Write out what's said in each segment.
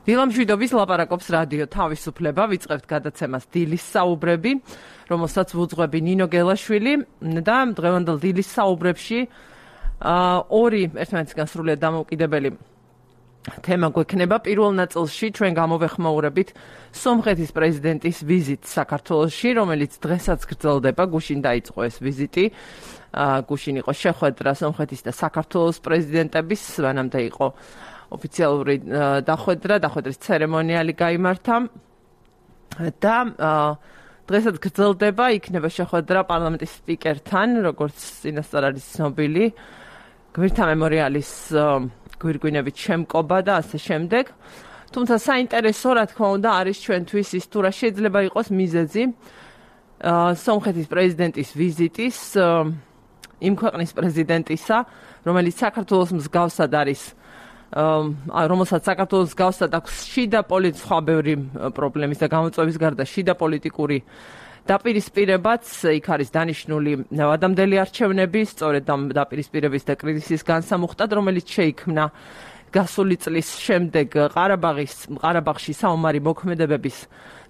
დილამშვიდობის ლაპარაკობს რადიო თავისუფლება, ვიწყებთ გადაცემას დილის საუბრები, რომელსაც ვუძღვები ნინო გელაშვილი და დღევანდელ დილის საუბრებში ორი ერთმანეთისგან სრულიად დამოუკიდებელი თემა გვექნება. პირველ ნაწილში ჩვენ გამოვეხმაურებით სომხეთის პრეზიდენტის ვიზიტს საქართველოში, რომელიც დღესაც გრძელდება, გუშინ დაიწყო ეს ვიზიტი. გუშინ იყო შეხვედრა სომხეთის და საქართველოს პრეზიდენტების, მანამდე იყო ოფიციალური დახვედრის ცერემონიალი გაიმართა და დღესაც გრძელდება, იქნება შეხვედრა პარლამენტის სპიკერთან, როგორც წინასწარ არის ცნობილი, გვირთა მემორიალის გვირგვინებით შემკობა და ასე შემდეგ. თუმცა საინტერესო, რა თქმა უნდა, არის ჩვენთვის ის, თუ რა შეიძლება იყოს მიზეზი სომხეთის პრეზიდენტის ვიზიტის იმ ქვეყნის პრეზიდენტისა, რომელიც საქართველოს მსგავსად არის, რომელსაც საქართველოს მსგავსად აქვს შიდა სხვა ბევრი პრობლემის და გამოწვევის გარდა შიდა პოლიტიკური დაპირისპირებაც, იქ არის დანიშნული ადამდელი არჩევნები, სწორედ ამ დაპირისპირების და კრიზისის განსამუხტად, რომელიც შეიქმნა გასული წლის შემდეგ ყარაბაღში საომარი მოქმედებების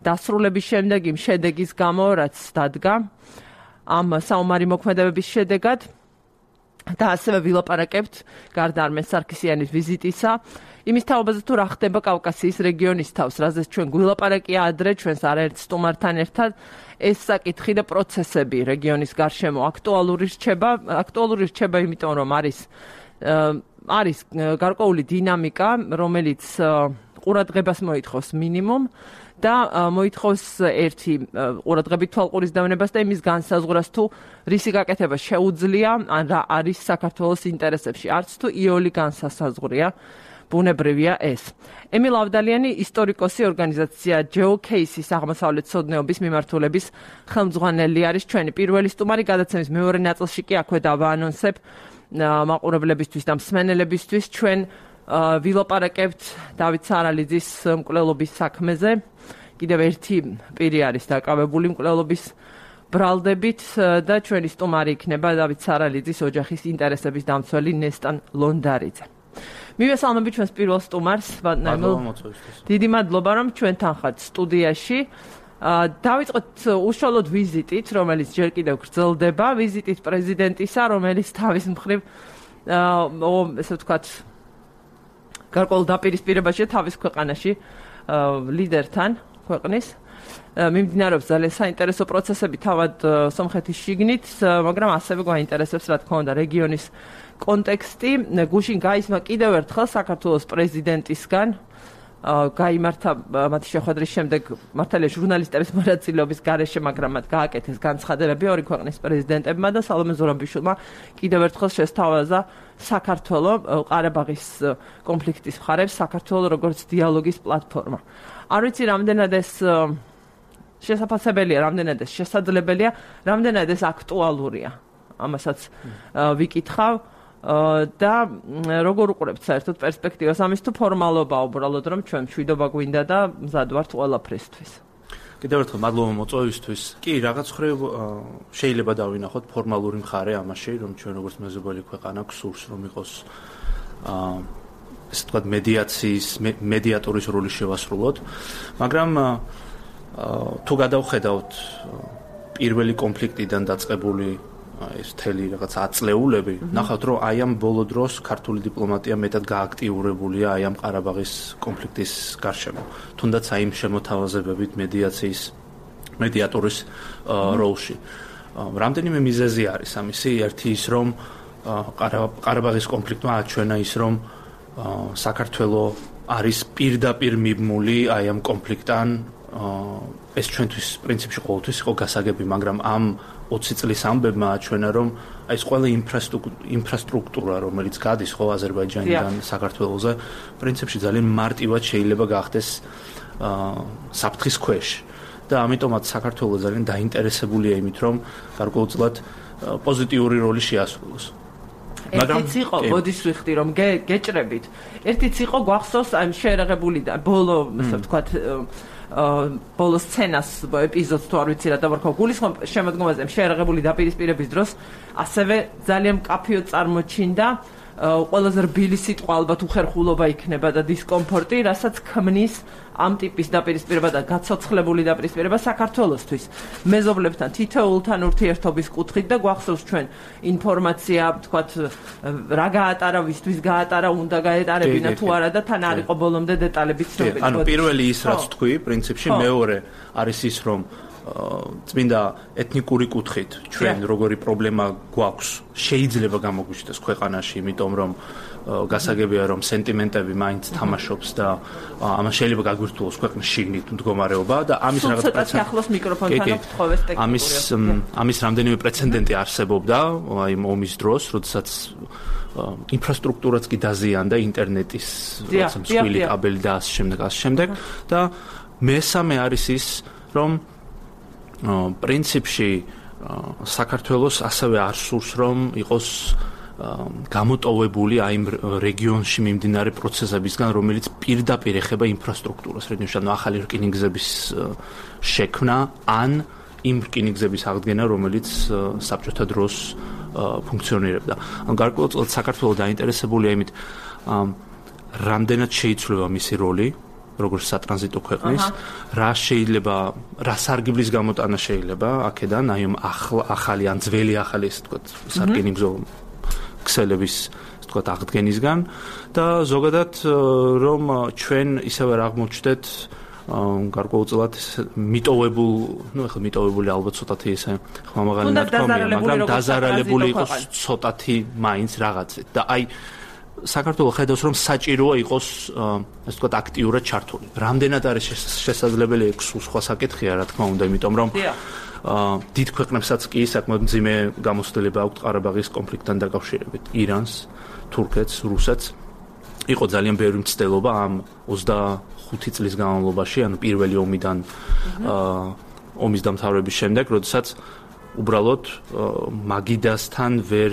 დასრულების შემდეგ, იმ შედეგის გამო, რაც დადგა ამ საომარი მოქმედებების შედეგად. და ასევე ვილაპარაკებთ გარდა არმენ სარქისიანის ვიზიტისა იმის თაობაზე, თუ რა ხდება კავკასიის რეგიონის თავს, რაზეც ჩვენ გვილაპარაკია ადრე ჩვენს არაერთ სტუმართან ერთად. ეს საკითხი და პროცესები რეგიონის გარშემო აქტუალური რჩება, იმიტომ რომ არის გარკვეული დინამიკა, რომელიც ყურადღებას მოითხოვს მინიმუმ და მოითხოვს ერთი ყურადღებით თვალყურის დავნებას და იმის განსაზღვრას, თუ რისი გაკეთება შეუძლია, ან რა არის საქართველოს ინტერესებში, არც თუ იოლი განსასაზღვრია, ბუნებრივია ეს. ემილ ავდალიანი, ისტორიკოსი, ორგანიზაცია GeoCase-ის აღმოსავლეთმცოდნეობის მიმართულების ხელმძღვანელი არის ჩვენი პირველი სტუმარი. გადაცემის მეორე ნაწილში კი აქვე დავაანონსებ მაყურებლებისთვის და მსმენელებისთვის ჩვენ ვილაპარაკებთ დავით სარალიძის მკვლელობის საქმეზე. კიდევ ერთი პირი არის დაკავებული მკვლელობის ბრალდებით და ჩვენი სტუმარი იქნება დავით სარალიძის ოჯახის ინტერესების დამცველი ნესტან ლონდარიძე. მივესალმები ჩვენს პირველ სტუმარს. დიდი მადლობა, რომ ჩვენთან ხართ სტუდიაში. დავიწყოთ უშუალოდ ვიზიტით, რომელიც ჯერ კიდევ გრძელდება, ვიზიტით პრეზიდენტისა, რომელიც თავის მხრივ ესე ვთქვათ გარკვეულ დაპირისპირებაშია თავის ქვეყანაში ლიდერთან ქვეყნის. მიმდინარეობს ძალიან საინტერესო პროცესები თავად სომხეთის შიგნით, მაგრამ ასევე გვაინტერესებს, რა თქმა უნდა, რეგიონის კონტექსტი. გუშინ გაისმა კიდევ ერთხელ საქართველოს პრეზიდენტისგან გაიმართა მათი შეხვედრის შემდეგ მართალია ჟურნალისტების მონაწილეობის გარეშე, მაგრამ მათ გააკეთეს განცხადებები ორი ქვეყნის პრეზიდენტებმა და სალომე ზურაბიშვილმა კიდევ ერთხელ შესთავაზა საქართველო ყარაბაღის კონფლიქტის მხარებს, საქართველო როგორც დიალოგის პლატფორმა. არ ვიცი, რამდენად ეს შესაძლებელია, რამდენად ეს შესაძლებელია, რამდენად ეს აქტუალურია. ამასაც ვიკითხავ და როგორ უყურებთ საერთოდ პერსპექტივას ამის, თუ ფორმალობაა უბრალოდ, რომ ჩვენ მშვიდობა გვინდა და მზად ვართ ყველაფრისთვის. კიდევ ერთხელ მადლობა მოწვევისთვის. კი, რაღაც მხრივ შეიძლება დავინახოთ ფორმალური მხარე ამაში, რომ ჩვენ როგორც მეზობელი ქვეყანა გსურს, რომ იყოს ესე ვთქვათ მედიატორის როლი შევასრულოთ, მაგრამ თუ გადავხედავთ პირველი კონფლიქტიდან დაწყებული ეს მთელი რაღაც აწლეულები, ნახავთ, რომ აი ამ ბოლო დროს ქართული დიპლომატია მეტად გააქტიურებულია აი ამ ყარაბაღის კონფლიქტის გარშემო. თუნდაც აი იმ შემოთავაზებებით მედიატორის როლში. რამდენიმე მიზეზი არის ამისი. ერთი ის, რომ ყარაბაღის კონფლიქტმა აჩვენა ის, რომ საქართველო არის პირდაპირ მიბმული აი ამ კონფლიქტთან. ეს ჩვენთვის პრინციპში ყოველთვის იყო გასაგები, მაგრამ ამ 20 წლის ამბებმა აჩვენა, რომ აი ეს ყველა ინფრასტრუქტურა, რომელიც გადის ხო აზერბაიჯანიდან საქართველოზე, პრინციპში ძალიან მარტივად შეიძლება გახდეს საფრთხის ქვეშ. და ამიტომაც საქართველო ძალიან დაინტერესებულია იმით, რომ გარკვეულწილად პოზიტიური როლი შეასრულოს. ერთიც იყო, ბოდიშ ვიხდი, რომ გეჭრებით. ერთიც იყო გვახსოვს აი შეერაღებული და ბოლო, ასე ვთქვათ, ბოლო სცენას ეპიზოდს თუ არ ვიცი რა დავარქვა გულისხმობ შემოდგომაზე შეერაღებული დაპირისპირების დროს ასევე ძალიან მკაფიოდ წარმოჩინდა ყველაზე რბილი სიტყვა ალბათ უხერხულობა იქნება და დისკომფორტი, რასაც ქმნის ამ ტიპის დაპირისპირება და გაცოცხლებული დაპირისპირება საქართველოსთვის. მეზობლებთან თითოეულთან ურთიერთობის კუთხით და გვახსოვს ჩვენ ინფორმაცია, თქვათ, რა გაატარა, ვისთვის გაატარა, უნდა გაეტარებინა თუ არა და თან არ იყო ბოლომდე დეტალები ცნობილი. ანუ პირველი ის რაც თქვი, პრინციპში მეორე არის ის, რომ წმინდა ეთნიკური კუთხით ჩვენ როგორი პრობლემა გვაქვს, შეიძლება გამოგვიჩნდეს ქვეყანაში, იმიტომ რომ გასაგებია რომ სენტიმენტები მაინც თამაშობს და ამას შეიძლება გაგვირთულოს ქვეყნის შიგნით მდგომარეობა და ამის რაღაც ამის რამდენიმე პრეცედენტი არსებობდა აი ომის დროს, როდესაც ინფრასტრუქტურაც კი დაზიანდა, ინტერნეტის რაღაცა მსხვილი კაბელი და ასე შემდეგ და მესამე არის ის, რომ პრინციპში საქართველოს ასევე არ სურს რომ იყოს გამოტოვებული აი იმ რეგიონში მიმდინარე პროცესებისგან, რომელიც პირდაპირ ეხება ინფრასტრუქტურას, რეგიონში ახალი რკინიგზების შექმნა ან იმ რკინიგზების აღდგენა, რომელიც საბჭოთა დროს ფუნქციონირებდა. ანუ გარკვეულწილად საქართველოს დაინტერესებულია იმით, რამდენად შეიცვლება მისი როლი როგორც სატრანზიტო ქვეყნის, რა სარგებლის გამოტანა შეიძლება აქედან, აი ამ ახალი ან ძველი ახალი ესე ვთქვათ, სარკინიგზო ქსელების ესე ვთქვათ აღდგენისგან და ზოგადად რომ ჩვენ ისევ არ აღმოჩნდეთ გარკვეულწილად მიტოვებული ალბათ ცოტათი ესე ხმამაღალი ნათქვამია, მაგრამ დაზარალებული იყოს ცოტათი მაინც რაღაცით და აი საქართველოს ხედავს რომ საჭიროა იყოს ასე ვთქვათ აქტიურად ჩართული. რამდენად არის შესაძლებელი სხვა საკითხია რა თქმა უნდა, იმიტომ რომ დიდ ქვეყნებსაც კი საკმაოდ მძიმე გამოცდილება აქვთ ყარაბაღის კონფლიქტთან დაკავშირებით. ირანს, თურქეთს, რუსეთს იყო ძალიან ბევრი მცდელობა ამ 25 წლის განმავლობაში, ანუ პირველი ომიდან ომის დამთავრების შემდეგ, როდესაც უბრალოდ მაგიდასთან ვერ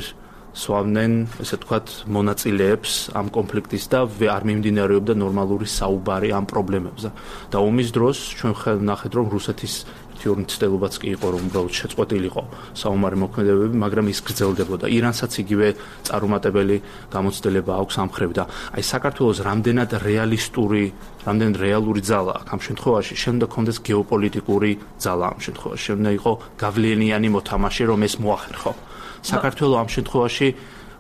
სვავდნენ, ესე ვთქვათ, მონაწილეებს ამ კონფლიქტის და არ მიმდინარეობდა ნორმალური საუბარი ამ პრობლემებზე. და ომის დროს ჩვენ ვნახეთ, რომ რუსეთის ერთი-ორი მცდელობაც კი იყო, რომ უბრალოდ შეწყვეტილიყო საომარი მოქმედებები, მაგრამ ის გრძელდებოდა. ირანსაც იგივე წარუმატებელი გამოცდილება აქვს ამ მხრივ და აი საქართველოს რამდენად რეალური ძალა აქვს ამ შემთხვევაში, შემდა კონდეს გეოპოლიტიკური ძალა ამ შემთხვევაში, შემდა იყო გავლენიანი მოთამაშე, რომ ეს მოახერხო. საქართველოს ამ შემთხვევაში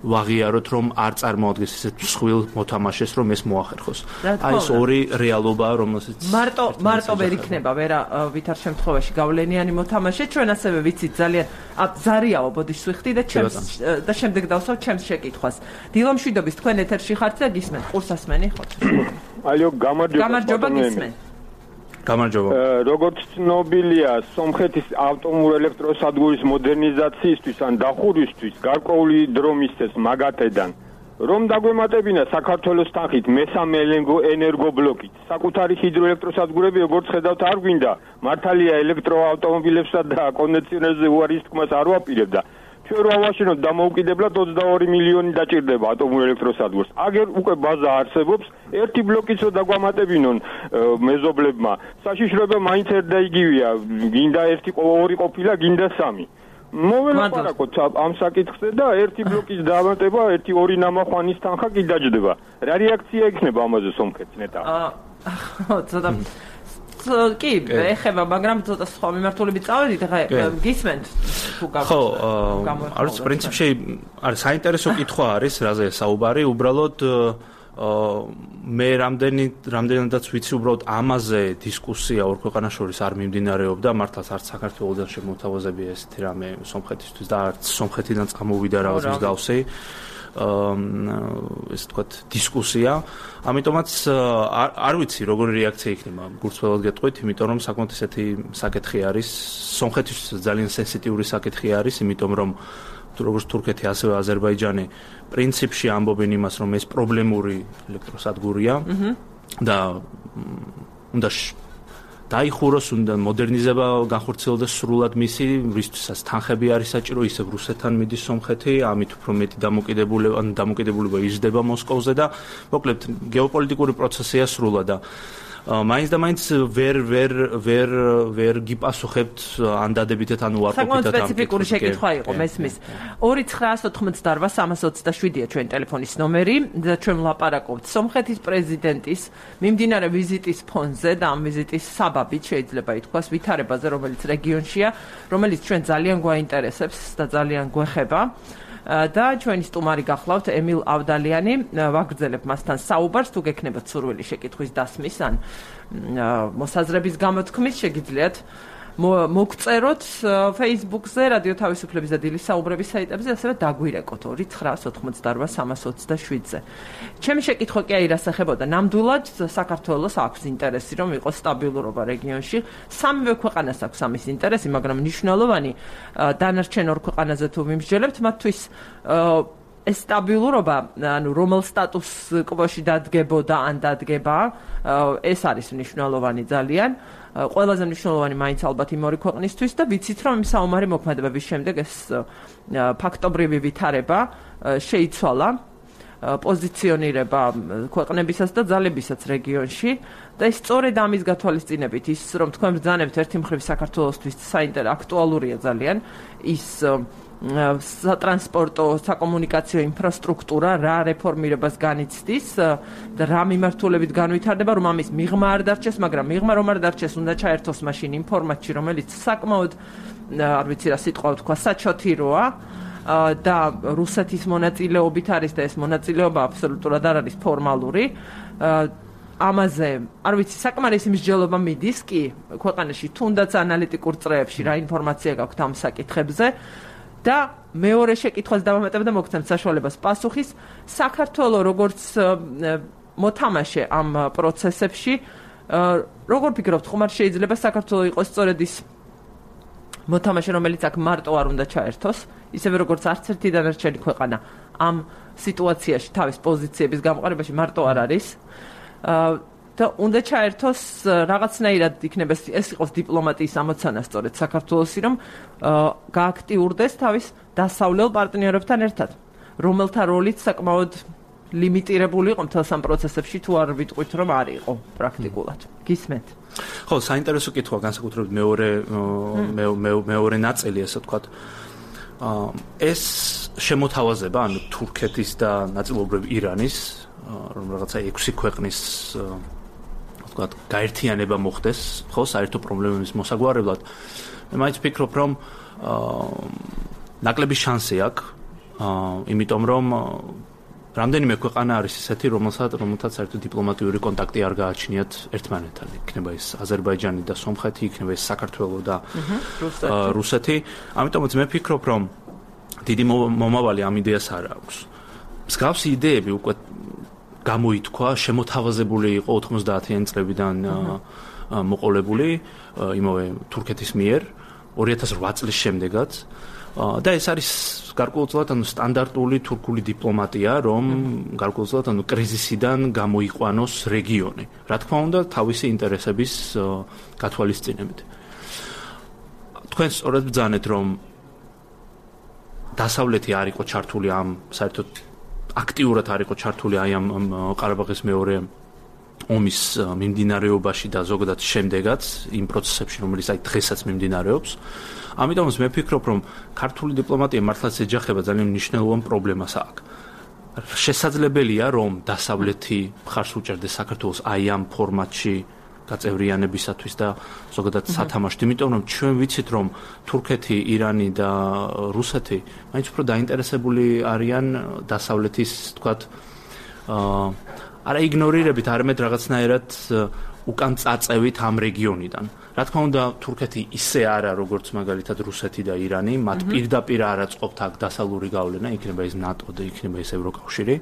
ვაღიაროთ, რომ არ წარმოადგენს ისეთ მსხვილ მოთამაშეს, რომ ეს მოახერხოს. აი ეს ორი რეალობაა, რომელსაც მარტო ვერ იქნება ვითარ შემთხვევაში გავლენიანი მოთამაშე. ჩვენ ასევე ვიცით ძალიან ზარიაო ბოდიშსვიხტი და შემდეგ დავსვავ ჩემს შეკითხვას. დილომშვიდობის თქვენ ეთერში ხართ და გისმენთ. ყურსასმენი ხოთ. აიო, გამარჯობა. გამარჯობა გისმენთ. გამარჯობა. როგორც ცნობილია, სომხეთის ავტომობილელექტროსადგურის მოდერნიზაციისთვის ან დახურვისთვის გარკვეული დრო მისცეს მაგათედან. რომ დაგვემატებინა საქართველოს თანხით მესამე ენერგობლოკით. საკუთარი ჰიდროელექტროსადგურები, როგორც ხედავთ, არ გვინდა. მართალია ელექტროავტომობილებსა და კონდიციონერზე უარის თქმას არ ვაპირებდა. ჩვენ რა ვაშინოთ დამოუკიდებლად 22 მილიონი დაჭირდება ატომურელექტროსადგურს. აგერ უკვე ბაზა არსებობს, ერთი ბლოკიც რო დაგვამატებინონ მეზობლებმა. საშიშროება მაინც ერთ და იგივეა. გინდა ორი ყოფილა, გინდა სამი. მოველაპარაკოთ ამ საკითხზე და ერთი ბლოკის დამატება, ორი ნამახვანის თანხა კი დაჯდება. რა რეაქცია იქნება ამაზე სომხეთს ნეტა? ცოტა კი, ეხება, მაგრამ ცოტა სხვა მიმართულებით წავედით, ხა გისმენთ თუ ხო, არის პრინციპში არის საინტერესო კითხვა არის, რაზე საუბარი, უბრალოდ მე რამდენადაც ვიცი, უბრალოდ ამაზე დისკუსია ორ ქვეყანას შორის არ მიმდინარეობდა, მართლაც არც საქართველოსთან შემოთავაზებია ესეთი რამე სომხეთისთვის და არც სომხეთიდან წამოვიდა რაღაც მსგავსი ესე ვთქვათ დისკუსია. ამიტომაც არ ვიცი როგორი რეაქცია იქნება, გულწრფელად გეტყვით, იმიტომ რომ საკმაოდ ესეთი საკითხი არის, სომხეთის ძალიან სენსიტიური საკითხი არის, იმიტომ რომ როგორც თურქეთი, ასევე აზერბაიჯანი პრინციპში ამბობენ იმას, რომ ეს პრობლემური ელექტროსადგურია და უნდა დაიხუროს, უნდა მოდერნიზება განხორციელდეს სრულად მისი, რისთვისაც თანხები არის საჭირო, ისევ რუსეთთან მიდის სომხეთი, ამით უფრო მეტი დამოკიდებულება იზრდება მოსკოვზე და მოკლედ გეოპოლიტიკური პროცესია სრულად და მაინც და მაინც ვერ გიპასუხებთ ან დადებითად ან უარყოფითად ამ საკმაოდ სპეციფიკური შეკითხვა იყო მესმის 2988-327-ია ჩვენი ტელეფონის ნომერი და ჩვენ ვლაპარაკობთ სომხეთის პრეზიდენტის მიმდინარე ვიზიტის ფონზე და ამ ვიზიტის საბაბით შეიძლება ითქვას ვითარებაზე რომელიც რეგიონშია რომელიც ჩვენ ძალიან გვაინტერესებს და ძალიან გვეხება და ჩვენი სტუმარი გახლავთ ემილ ავდალიანი ვაგრძელებ მასთან საუბარს თუ გექნებათ სურვილი შეკითხვის დასმის ან მოსაზრების გამოთქმის შეგიძლიათ მოგწეროთ Facebook-ზე რადიო თავისუფლების და დილის საუბრების საიტებზე ასევე დაგვირეკოთ 2988-327-ზე ჩემი შეკითხვა კი არ ასახებოდა ნამდვილად საქართველოს აქვს ინტერესი რომ იყოს სტაბილურობა რეგიონში სამივე ქვეყანას აქვს ამის ინტერესი მაგრამ მნიშვნელოვანი დანარჩენ ორ ქვეყანაზე თუ ვიმსჯელებთ მათთვის ეს სტაბილურობა ანუ რომელ სტატუს კვოში დადგებოდა ან დადგება ეს არის მნიშვნელოვანი ძალიან ყველაზე მნიშვნელოვანი მაინც ალბათ იმ ორი ქვეყნისთვის და ვიცით რომ იმ საომარი მოქმედებების შემდეგ ეს ფაქტობრივი ვითარება შეიცვალა პოზიციონირება ქვეყნებისას და ძალებისაც რეგიონში და ის სწორედ ამის გათვალისწინებით ის რომ თქვენ ბრძანებთ ერთი მხრივ საქართველოსთვის აქტუალურია ძალიან ის სატრანსპორტო, საკომუნიკაციო ინფრასტრუქტურა რა რეფორმირებას განიცდის და რა მიმართულებით განვითარდება, რომ ამის მიღმა არ დარჩეს, მაგრამ მიღმა რომ არ დარჩეს, უნდა ჩაერთოს მაშინ იმ ფორმატში, რომელიც საკმაოდ არ ვიცი რა სიტყვა ვთქვა, საჩოთიროა და რუსეთის მონაწილეობით არის და ეს მონაწილეობა აბსოლუტურად არ არის ფორმალური. ამაზე, არ ვიცი, საკმარისი მსჯელობა მიდის კი ქვეყანაში, თუნდაც ანალიტიკურ წრეებში რა ინფორმაცია გაქვთ ამ საკითხებზე. და მეორე შეკითხვას დავამატებ და მოგცემთ საშუალებას პასუხის საქართველოს როგორც მოთამაშე ამ პროცესებში როგორ ფიქრობთ ხომ არ შეიძლება საქართველოს იყოს სწორედ ის მოთამაშე რომელიც აქ მარტო არ უნდა ჩაერთოს ისევე როგორც არც ერთი დანარჩენი ქვეყანა ამ სიტუაციაში თავის პოზიციების გამყარებაში მარტო არ არის და უნდა ჩაერთოს რაღაცნაირად იქნება ეს იყოს დიპლომატიის ამოცანა სწორედ საქართველოსი რომ გააქტიურდეს თავის დასავლელ პარტნიორებთან ერთად რომელთა როლიც საკმაოდ ლიმიტირებული იყო მთელ სამ პროცესებში თუ არ ვიტყვით რომ არ იყო პრაქტიკულად გისმენთ ხო საინტერესო კითხვა განსაკუთრებით მეორე ნაწილი ასე ვთქვათ ეს შემოთავაზება ანუ თურქეთის და ნაწილობრივ ირანის რომ რაღაცა 6 ქვეყნის ვთქვათ გაერთიანება მოხდეს ხო საერთო პრობლემების მოსაგვარებლად მე მაინც ვფიქრობ რომ ნაკლები შანსი აქვს იმიტომ რომ რამდენიმე ქვეყანა არის ესეთი რომელთაც საერთო დიპლომატიური კონტაქტი არ გააჩნიათ ერთმანეთთან იქნება ეს აზერბაიჯანი და სომხეთი იქნება ეს საქართველო და რუსეთი ამიტომაც მე ვფიქრობ რომ დიდი მომავალი ამ იდეას არ აქვს მსგავსი იდეები უკვე გამოითქვა შემოთავაზებული იყო 90-იან წლებიდან მოყოლებული იმავე თურქეთის მიერ 2008 წლის შემდეგაც და ეს არის გარკვეულწილად ანუ სტანდარტული თურქული დიპლომატია რომ გარკვეულწილად ანუ კრიზისიდან გამოიყვანოს რეგიონი რა თქმა უნდა თავისი ინტერესების გათვალისწინებით თქვენ სწორედ ბრძანეთ რომ დასავლეთი არ იყო ჩართული ამ საერთოდ აქტიურად არ იყო ჩართული აი ამ ყარაბაღის მეორე ომის მიმდინარეობაში და ზოგადად შემდეგაც იმ პროცესებში რომელიც აი დღესაც მიმდინარეობს ამიტომაც მე ვფიქრობ რომ ქართული დიპლომატია მართლაც ეჯახება ძალიან მნიშვნელოვან პრობლემას აქ შესაძლებელია რომ დასავლეთი მხარს უჭერდეს საქართველოს აი ამ ფორმატში გაწევრიანებისათვის და ზოგადად სათამაშოდ იმიტომ რომ ჩვენ ვიცით რომ თურქეთი, ირანი და რუსეთი მაინც უფრო დაინტერესებული არიან დასავლეთის თქვათ არა იგნორირებით, არამედ რაღაცნაირად უკან წაწევით ამ რეგიონიდან. რა თქმა უნდა, თურქეთი ისე არა, როგორც მაგალითად რუსეთი და ირანი, მათ პირდაპირ არ აწყობთ აქ დასავლური გავლენა, იქნება ეს ნატო და იქნება ეს ევროკავშირი.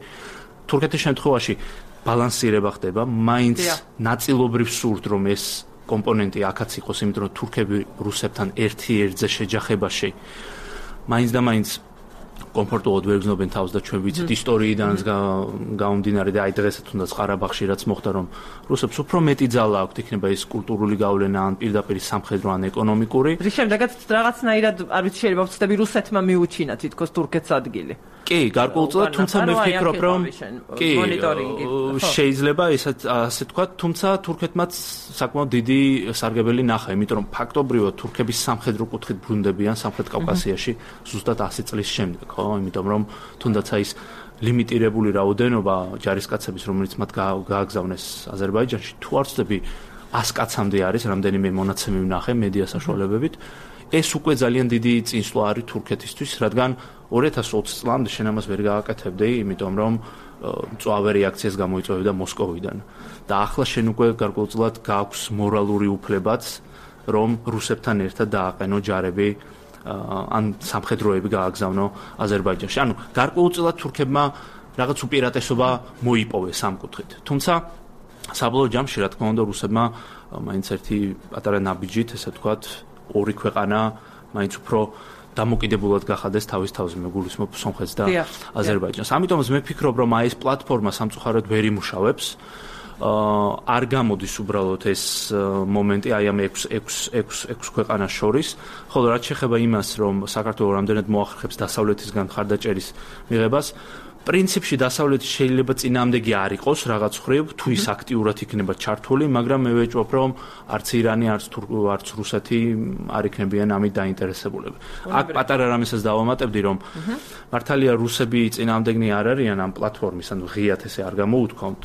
თურქეთის შემთხვევაში ბალანსირება ხდება, მაინც ნაწილობრივ სურთ რომ ეს კომპონენტი აქაც იყოს, იმიტომ რომ თურქები რუსებთან ერთ-ერთზე შეჯახებაში მაინც და მაინც კომფორტულად ვერ გრძნობენ თავს და ჩვენ ვიცით ისტორიიდანაც გამომდინარე და აი დღესაც თუნდაც ყარაბაღში რაც მოხდა რომ რუსებს უფრო მეტი ძალა აქვთ იქნება ეს კულტურული გავლენა ან პირდაპირ სამხედრო ან ეკონომიკური რის შემდეგაც რაღაცნაირად არ ვიცი შეიძლება ვწდები რუსეთმა მიუჩინა თითქოს თურქეთს ადგილი კი, გარკვეულწილად, თუმცა მე ვფიქრობ, რომ კი, შეიძლება ასე თქვა, თუმცა თურქეთმაც საკმაოდ დიდი სარგებელი ნახა, იმიტომ რომ ფაქტობრივად თურქების სამხედრო კუთხით ბრუნდებიან სამხრეთ კავკასიაში ზუსტად 100 წლის შემდეგ, ხო? იმიტომ რომ თუნდაც ის ლიმიტირებული რაოდენობა ჯარისკაცების, რომელიც მათ გააგზავნეს აზერბაიჯანში, თუ არ ვცდები 100 კაცამდე არის, რამდენიმე მონაცემი ვნახე მედია საშუალებებით. ეს უკვე ძალიან დიდი წინსვლა არის თურქეთისთვის, რადგან 2020 წლამდე შენ ამას ვერ გააკეთებდი, იმიტომ რომ მწვავე რეაქციას გამოიწვევდა მოსკოვიდან. და ახლა შენ უკვე გარკვეულწილად გააქვს მორალური უფლებაც, რომ რუსებთან ერთად დააყენო ჯარები ან სამხედროები გააგზავნო აზერბაიჯანში. ანუ გარკვეულწილად თურქებმა რაღაც უპირატესობა მოიპოვეს ამ კუთხით. თუმცა საბოლოო ჯამში, რა თქმა უნდა, რუსებმა მაინც ერთი პატარა ნაბიჯით, ესე ვთქვათ, ორი ქვეყანა მაინც უფრო დამოკიდებულად გახადეს თავის თავზე, მეგულისმოb სომხეთს და აზერბაიჯანს. ამიტომაც მე ვფიქრობ, რომ აი ეს პლატფორმა სამწუხაროდ ვერ იმუშავებს. არ გამოდის უბრალოდ ეს მომენტი აი ამ 6 ქვეყანას შორის, ხოლო რაც შეეხება იმას, რომ საქართველოს რამდენად მოახერხებს დასავლეთისგან მხარდაჭერის მიღებას, პრინციპში დასავლეთი შეიძლება წინააღმდეგი არ იყოს რაღაც ხრივ, თუ ის აქტიურად იქნება ჩართული, მაგრამ მე ვეჭვობ, რომ არც ირანი, არც რუსეთი არ იქნებიან ამით დაინტერესებულები. აქ პატარა რამესაც დავამატებდი, რომ მართალია რუსები წინააღმდეგნი არ არიან ამ პლატფორმის, ანუ ღიად ესე არ გამოუთქვამთ,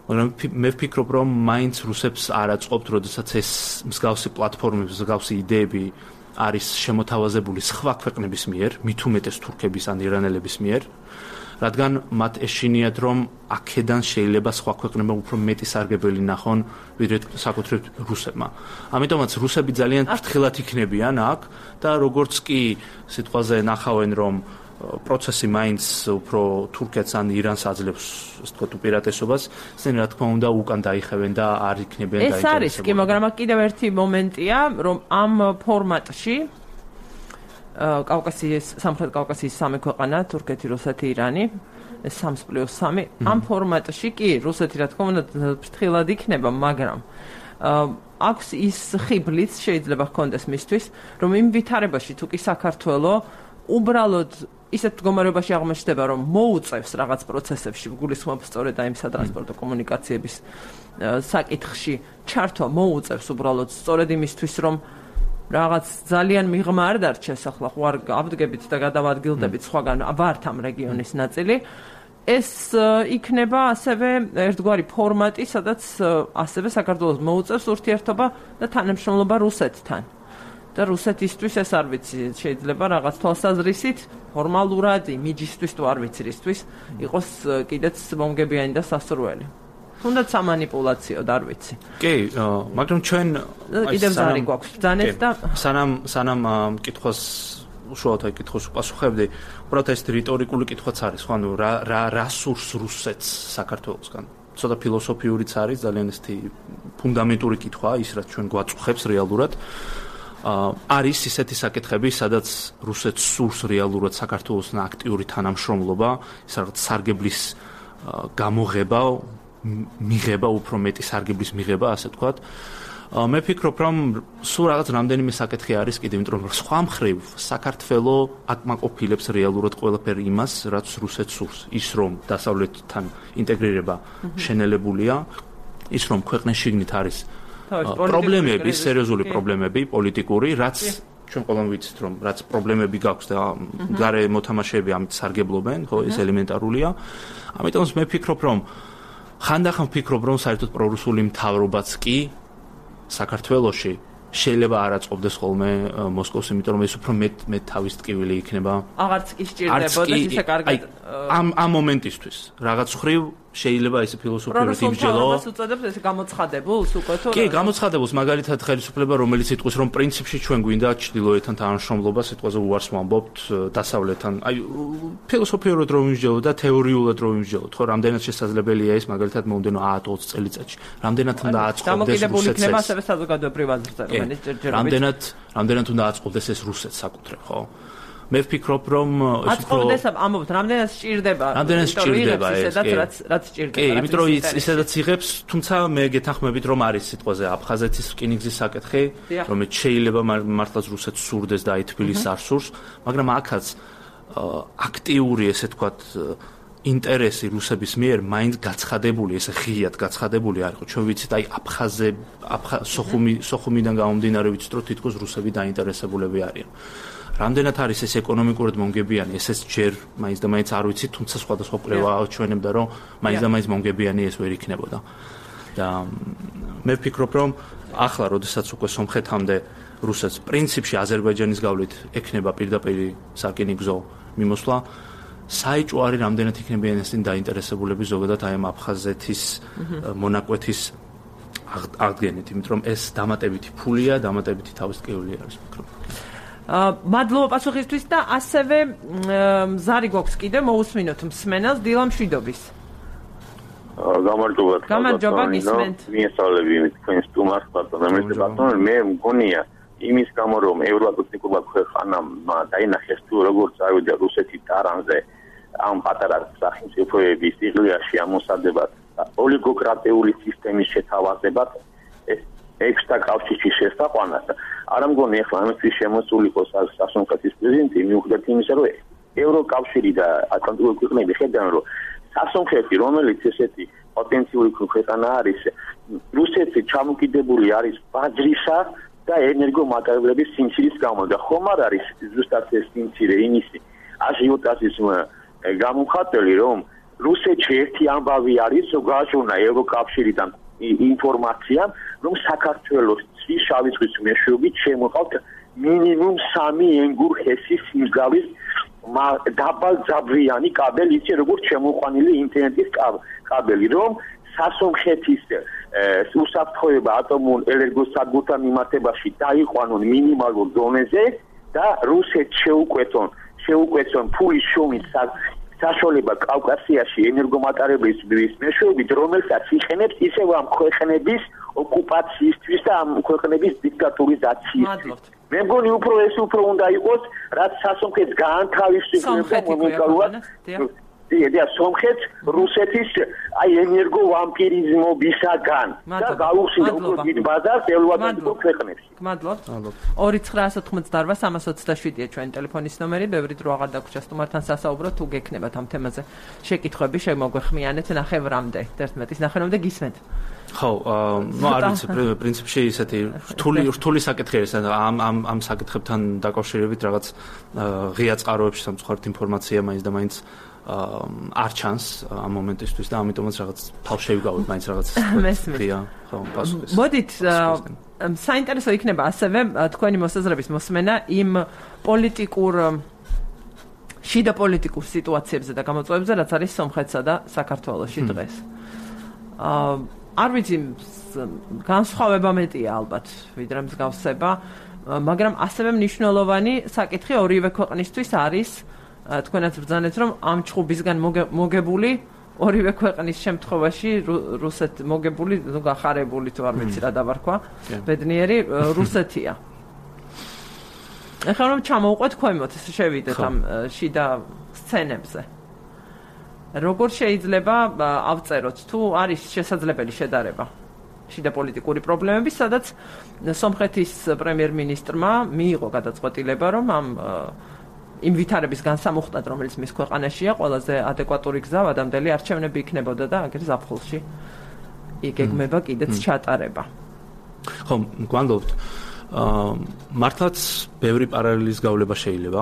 მაგრამ მე ვფიქრობ, რომ მაინც რუსებს არ აწყობთ, როდესაც ეს მსგავსი პლატფორმები, მსგავსი იდეები არის შემოთავაზებული სხვა ქვეყნების მიერ, მით უმეტეს თურქების ან ირანელების მიერ, რადგან მათ ეშინიათ, რომ აქედან შეიძლება სხვა ქვეყნებმა უფრო მეტი სარგებელი ნახონ, ვიდრე საკუთრივ რუსებმა. ამიტომაც რუსები ძალიან ფრთხილად იქნებიან აქ და როგორც კი სიტყვაზე ნახავენ, რომ პროცესი მაინც უფრო თურქეთს ან ირანს აძლევს, ასე ვთქვათ, უპირატესობას, ისინი რა თქმა უნდა უკან დაიხევენ და არ იქნებიან დაინტერესებული. ეს არის კი, მაგრამ კიდევ ერთი მომენტია, რომ ამ ფორმატში კავკასიის, სამხრეთ კავკასიის სამი ქვეყანა, თურქეთი, რუსეთი, ირანი, 3+3, ამ ფორმატში კი რუსეთი რა თქმა უნდა ფრთხილად იქნება, მაგრამ აქვს ის ხიბლიც შეიძლება ჰქონდეს მისთვის, რომ იმ ვითარებაში თუ კი საქართველო უბრალოდ ისეთ მდგომარეობაში აღმოჩნდება, რომ მოუწევს რაღაც პროცესებში, გულისხმობ სწორედ აი სატრანსპორტო კომუნიკაციების საკითხში ჩართვა მოუწევს უბრალოდ სწორედ იმისთვის, რომ რაღაც ძალიან მიღმა არ დარჩეს, ახლა ხوار აბდგებით და გადავადგილდებით სხვაგან ვართ ამ რეგიონის ნაწილი. ეს იქნება ასევე ერთგვარი ფორმატი, სადაც ასევე საქართველოს მოუწევს ურთიერთობა და თანამშრომლობა რუსეთთან. და რუსეთისთვის ეს არ ვიცი, შეიძლება რაღაც თვალსაზრისით ფორმალურად იმიჯისთვის თუ არ ვიცი რისთვის იყოს კიდეც მომგებიანი და სასურველი. თუნდაც სამანიპულაციოდ არ ვიცი. კი, მაგრამ ჩვენ კიდევ ზარი გვაქვს ბრძანეთ და სანამ კითხვას უშუალოდ აი კითხოს უპასუხებდი, უბრალოდ ეს რიტორიკული კითხვაც არის, ხო, ანუ რა სურს რუსეთს საქართველოსგან. ცოტა ფილოსოფიურიც არის, ძალიან ესეთი ფუნდამენტური კითხვა, ის რაც ჩვენ გვაწუხებს რეალურად. არის ისეთი საკითხები, სადაც რუსეთს სურს რეალურად საქართველოსთან აქტიური თანამშრომლობა, ის რაღაც სარგებლის გამოღება, მიღება, უფრო მეტი სარგებლის მიღება, ასე ვთქვათ. მე ვფიქრობ, რომ სულ რაღაც რამდენიმე საკითხი არის კიდევ, იმიტომ რომ სხვა მხრივ საქართველო აკმაყოფილებს რეალურად ყველაფერ იმას, რაც რუსეთს სურს. ის რომ დასავლეთთან ინტეგრირება შენელებულია, ის რომ ქვეყნის შიგნით არის პრობლემები, სერიოზული პრობლემები, პოლიტიკური, რაც ჩვენ ყველამ ვიცით, რომ რაც პრობლემები გაქვს და გარე მოთამაშეები ამით სარგებლობენ, ხო, ეს ელემენტარულია. ამიტომ მე ვფიქრობ, რომ ხანდახან ვფიქრობ, რომ საერთოდ პრორუსული მთავრობაც კი საქართველოში შეიძლება არ აწყობდეს ხოლმე მოსკოვს, იმიტომ რომ ეს უფრო მეტ თავის ტკივილი იქნება. აღარც კი სჭირდებოდა ისე კარგად. ამ მომენტისთვის რაღაც ხრივ შეიძლება ესე ფილოსოფიურად იმსჯელო. პრორუსულს უწოდებს ესე გამოცხადებულს უკვე თუ? კი, გამოცხადებულს, მაგალითად ხელისუფლება, რომელიც იტყვის, რომ პრინციპში ჩვენ გვინდა ჩრდილოეთთან თანამშრომლობა, სიტყვაზე უარს ვამბობთ დასავლეთთან. აი, ფილოსოფიურად რომ იმსჯელო და თეორიულად რომ იმსჯელო, ხო, რამდენად შესაძლებელია ეს, მაგალითად, მომდენო 10-20 წელიწადში. რამდენად უნდა აწყობდეს რუსეთს. დამოკიდებული იქნება ასევე საზოგადოებრივ აზრზე, რამდენად უნდა აწყობდეს ეს რუსეთს საკუთრებ, ხო? მე ვფიქრობ, რომ ეს უფრო აწყობდეს, ამბობთ, რამდენად სჭირდება. რამდენად სჭირდება ეს, რაც სჭირდება. კი, იმიტომ რომ ისედაც იღებს, თუმცა მე გეთანხმებით, რომ არის სიტყვაზე აფხაზეთის რკინიგზის საკითხი, რომელიც შეიძლება მართლაც რუსეთს სურდეს და აი თბილისს არ სურს, მაგრამ აქაც აქტიური, ესე ვთქვათ, ინტერესი რუსების მიერ მაინც გაცხადებული, ესე ღიად გაცხადებული არ იყო. ჩვენ ვიცით, აი სოხუმიდან გამომდინარე ვიცით, რომ თითქოს რუსები დაინტერესებულები არიან. რამდენად არის ეს ეკონომიკურად მომგებიანი, ესეც ჯერ მაინც და მაინც არ ვიცით, თუმცა სხვადასხვა კვლევა აჩვენებდა, რომ მაინც და მაინც მომგებიანი ეს ვერ იქნებოდა. და მე ვფიქრობ, რომ ახლა, როდესაც უკვე სომხეთამდე რუსეთს პრინციპში აზერბაიჯანის გავლით ექნება პირდაპირი სარკინიგზო მიმოსვლა, საეჭვო არის რამდენად იქნებიან ეს დაინტერესებულები ზოგადად აი ამ აფხაზეთის მონაკვეთის აღდგენით, იმიტომ რომ ეს დამატებითი ფულია, დამატებითი თავისკეული არის, ვფიქრობ. მადლობა პასუხისთვის და ასევე ზარი გვაქვს კიდე მოусმინოთ მსმენელს დილა მშვიდობის. გამარჯობა გისმენთ. მიესალმები თქვენს სტუმარს ბატონო, მე მგონია იმის გამო რომ ევროატლანტიკურმა ქვეყანამ დაინახეს თუ როგორ წავიდა რუსეთი ტარანზე ამ პატარა სახელმწიფოების სიღრმეში ამოსადებად ოლიგოკრატიული სისტემის შეთავაზებად ექსტრა კავშირის შესაყვანად არ მგონი ახლა ამის შემოსული იყოს სასამართლოს პრეზიდენტი მიუხედავად იმისა რომ ევროკავშირი და ატლანტიკური ქვეყნები ხედავენ რომ სასამართლო რომელიც ესეთი პოტენციური ქვეყანა არის რუსეთი ჩამოკიდებული არის ბაძრისა და ენერგომატერიალების სიმცირის გამო და ხომ არ არის ზუსტად ეს სიმცირე იმისი აჟიოტაჟის გამომხატველი რომ რუსეთში ერთი ამბავი არის რომ გააჩვენა ევროკავშირიდან ინფორმაცია რომ საქართველოს შავი ზღვის მეშვეობით შემოყავთ მინიმუმ 3 ენგურ-ჰესის სიმძლავრის დაბალძაბრიანი კაბელი ისე როგორც შემოყვანილი ინტერნეტის კაბელი რომ სასამართლოს უსაფრთხოება ატომურ ენერგოსადგურთან მიმართებაში დაიყვანონ მინიმალურ დონეზე და რუსეთს შეუკვეთონ ფულის შრომის საშუალება კავკასიაში ენერგომატერიალების მეშვეობით, რომელსაც იხენებს ისევ ამ ქვეყნების ოკუპაციისთვის და ამ ქვეყნების დიქტატურიზაციისთვის. მე მგონი უფრო უნდა იყოს, რაც სასამართლოს გაანთავისუფლება მომენტალურად და სომხეთს რუსეთის აი ენერგო ვამპირიზმობისაგან და გაუხსნა უფრო დიდ ბაზარს ევროატლანტიკურ ქვეყნებში. გმადლობთ. 2988-327-ია ჩვენი ტელეფონის ნომერი, ბევრი დრო აღარ დაგვრჩა სტუმართან სასაუბრო, თუ გექნებათ ამ თემაზე შეკითხვები, შემოგვეხმიანეთ ნახევრამდე, 11-ნახევრამდე გისმენთ. ხო, არ ვიცი, პრინციპში ისეთი რთული საკითხი არის, ამ საკითხებთან დაკავშირებით რაღაც ღია წყაროებში სამწუხაროდ ინფორმაცია მაინც და მაინც არ ჩანს ამ მომენტისთვის და ამიტომაც რაღაც თავშევი გავით მაინც რაღაც ღია ხო პასუხის. მოდით საინტერესო იქნება ასევე თქვენი მოსაზრების მოსმენა იმ შიდა პოლიტიკურ სიტუაციებზე და გამოწვევებზე, რაც არის სომხეთსა და საქართველოში დღეს. არ ვიცი, განსხვავება მეტია ალბათ, ვიდრე მსგავსება, მაგრამ ასევე მნიშვნელოვანი საკითხი ორივე ქვეყნისთვის არის თქვენაც ბრძანეთ, რომ ამ ჩხუბისგან მოგებული ორივე ქვეყნის შემთხვევაში რუსეთ მოგებული, გახარებული თუ არ ვიცი რა დავარქვა, ბედნიერი რუსეთია. ეხლა რომ ჩამოვყვეთ ქვემოთ, შევიდეთ ამ შიდა სცენებზე. როგორ შეიძლება ავწეროთ თუ არის შესაძლებელი შედარება შიდა პოლიტიკური პრობლემების, სადაც სომხეთის პრემიერ-მინისტრმა მიიღო გადაწყვეტილება, რომ იმ ვითარების განსამუხტად, რომელიც მის ქვეყანაშია, ყველაზე ადეკვატური გზა ადამდელი არჩევნები იქნებოდა და აგერ ზაფხულში იგეგმება კიდეც ჩატარება. ხო, გვანდობთ. მართლაც ბევრი პარალელის გავლება შეიძლება,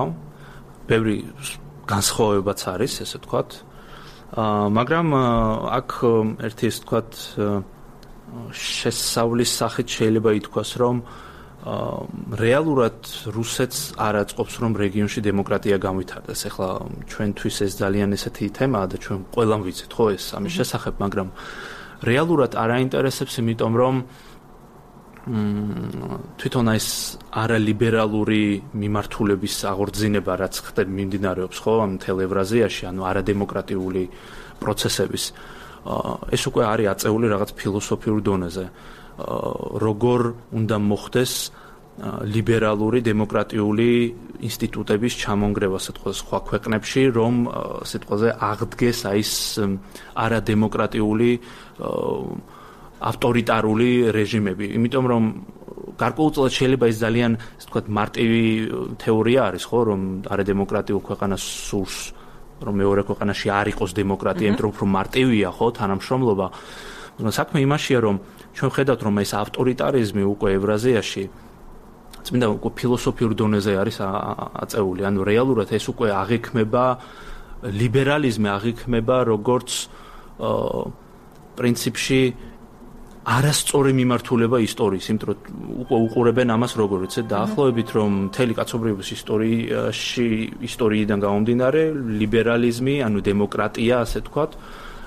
ბევრი განსხვავებაც არის, ესე ვთქვათ. მაგრამ აქ ერთი ესე ვთქვათ შესავლის სახით შეიძლება ითქვას, რომ რეალურად რუსეთს არ აწყობს, რომ რეგიონში დემოკრატია განვითარდეს. ეხლა ჩვენთვის ეს ძალიან ესეთი თემაა და ჩვენ ყველამ ვიცით ხო ეს ამის შესახებ, მაგრამ რეალურად არ აინტერესებს, იმიტომ რომ თვითონ ეს არალიბერალური მიმართულების აღორძინება, რაც ხდება მიმდინარეობს ხო ამ მთელ ევრაზიაში, ანუ არადემოკრატიული პროცესების, ეს უკვე არის აწეული რაღაც ფილოსოფიურ დონეზე. როგორ უნდა მოხდეს ლიბერალური დემოკრატიული ინსტიტუტების ჩამონგრევა სიტყვაზე სხვა ქვეყნებში, რომ სიტყვაზე აღდგეს აი ეს არადემოკრატიული ავტორიტარული რეჟიმები. იმიტომ რომ გარკვეულწილად შეიძლება ის ძალიან, ასე ვთქვათ, მარტივი თეორია არის, ხო, რომ არა დემოკრატიულ ქვეყანას სურს, რომ მეორე ქვეყანაში არ იყოს დემოკრატია, იმიტომ რომ უფრო მარტივია, ხო, თანამშრომლობა. საქმე იმაშია, რომ ჩვენ ხედავთ, რომ ეს ავტორიტარიზმი უკვე ევრაზიაში წმინდა უკვე ფილოსოფიურ დონეზე არის აწეული, ანუ რეალურად ეს უკვე აღიქმება ლიბერალიზმი აღიქმება როგორც პრინციპში არასწორი მიმართულება ისტორიის, იმიტომ რომ უკვე უყურებენ ამას როგორც დაახლოებით, რომ მთელი კაცობრიობის ისტორიიდან გამომდინარე ლიბერალიზმი, ანუ დემოკრატია, ასე ვთქვათ,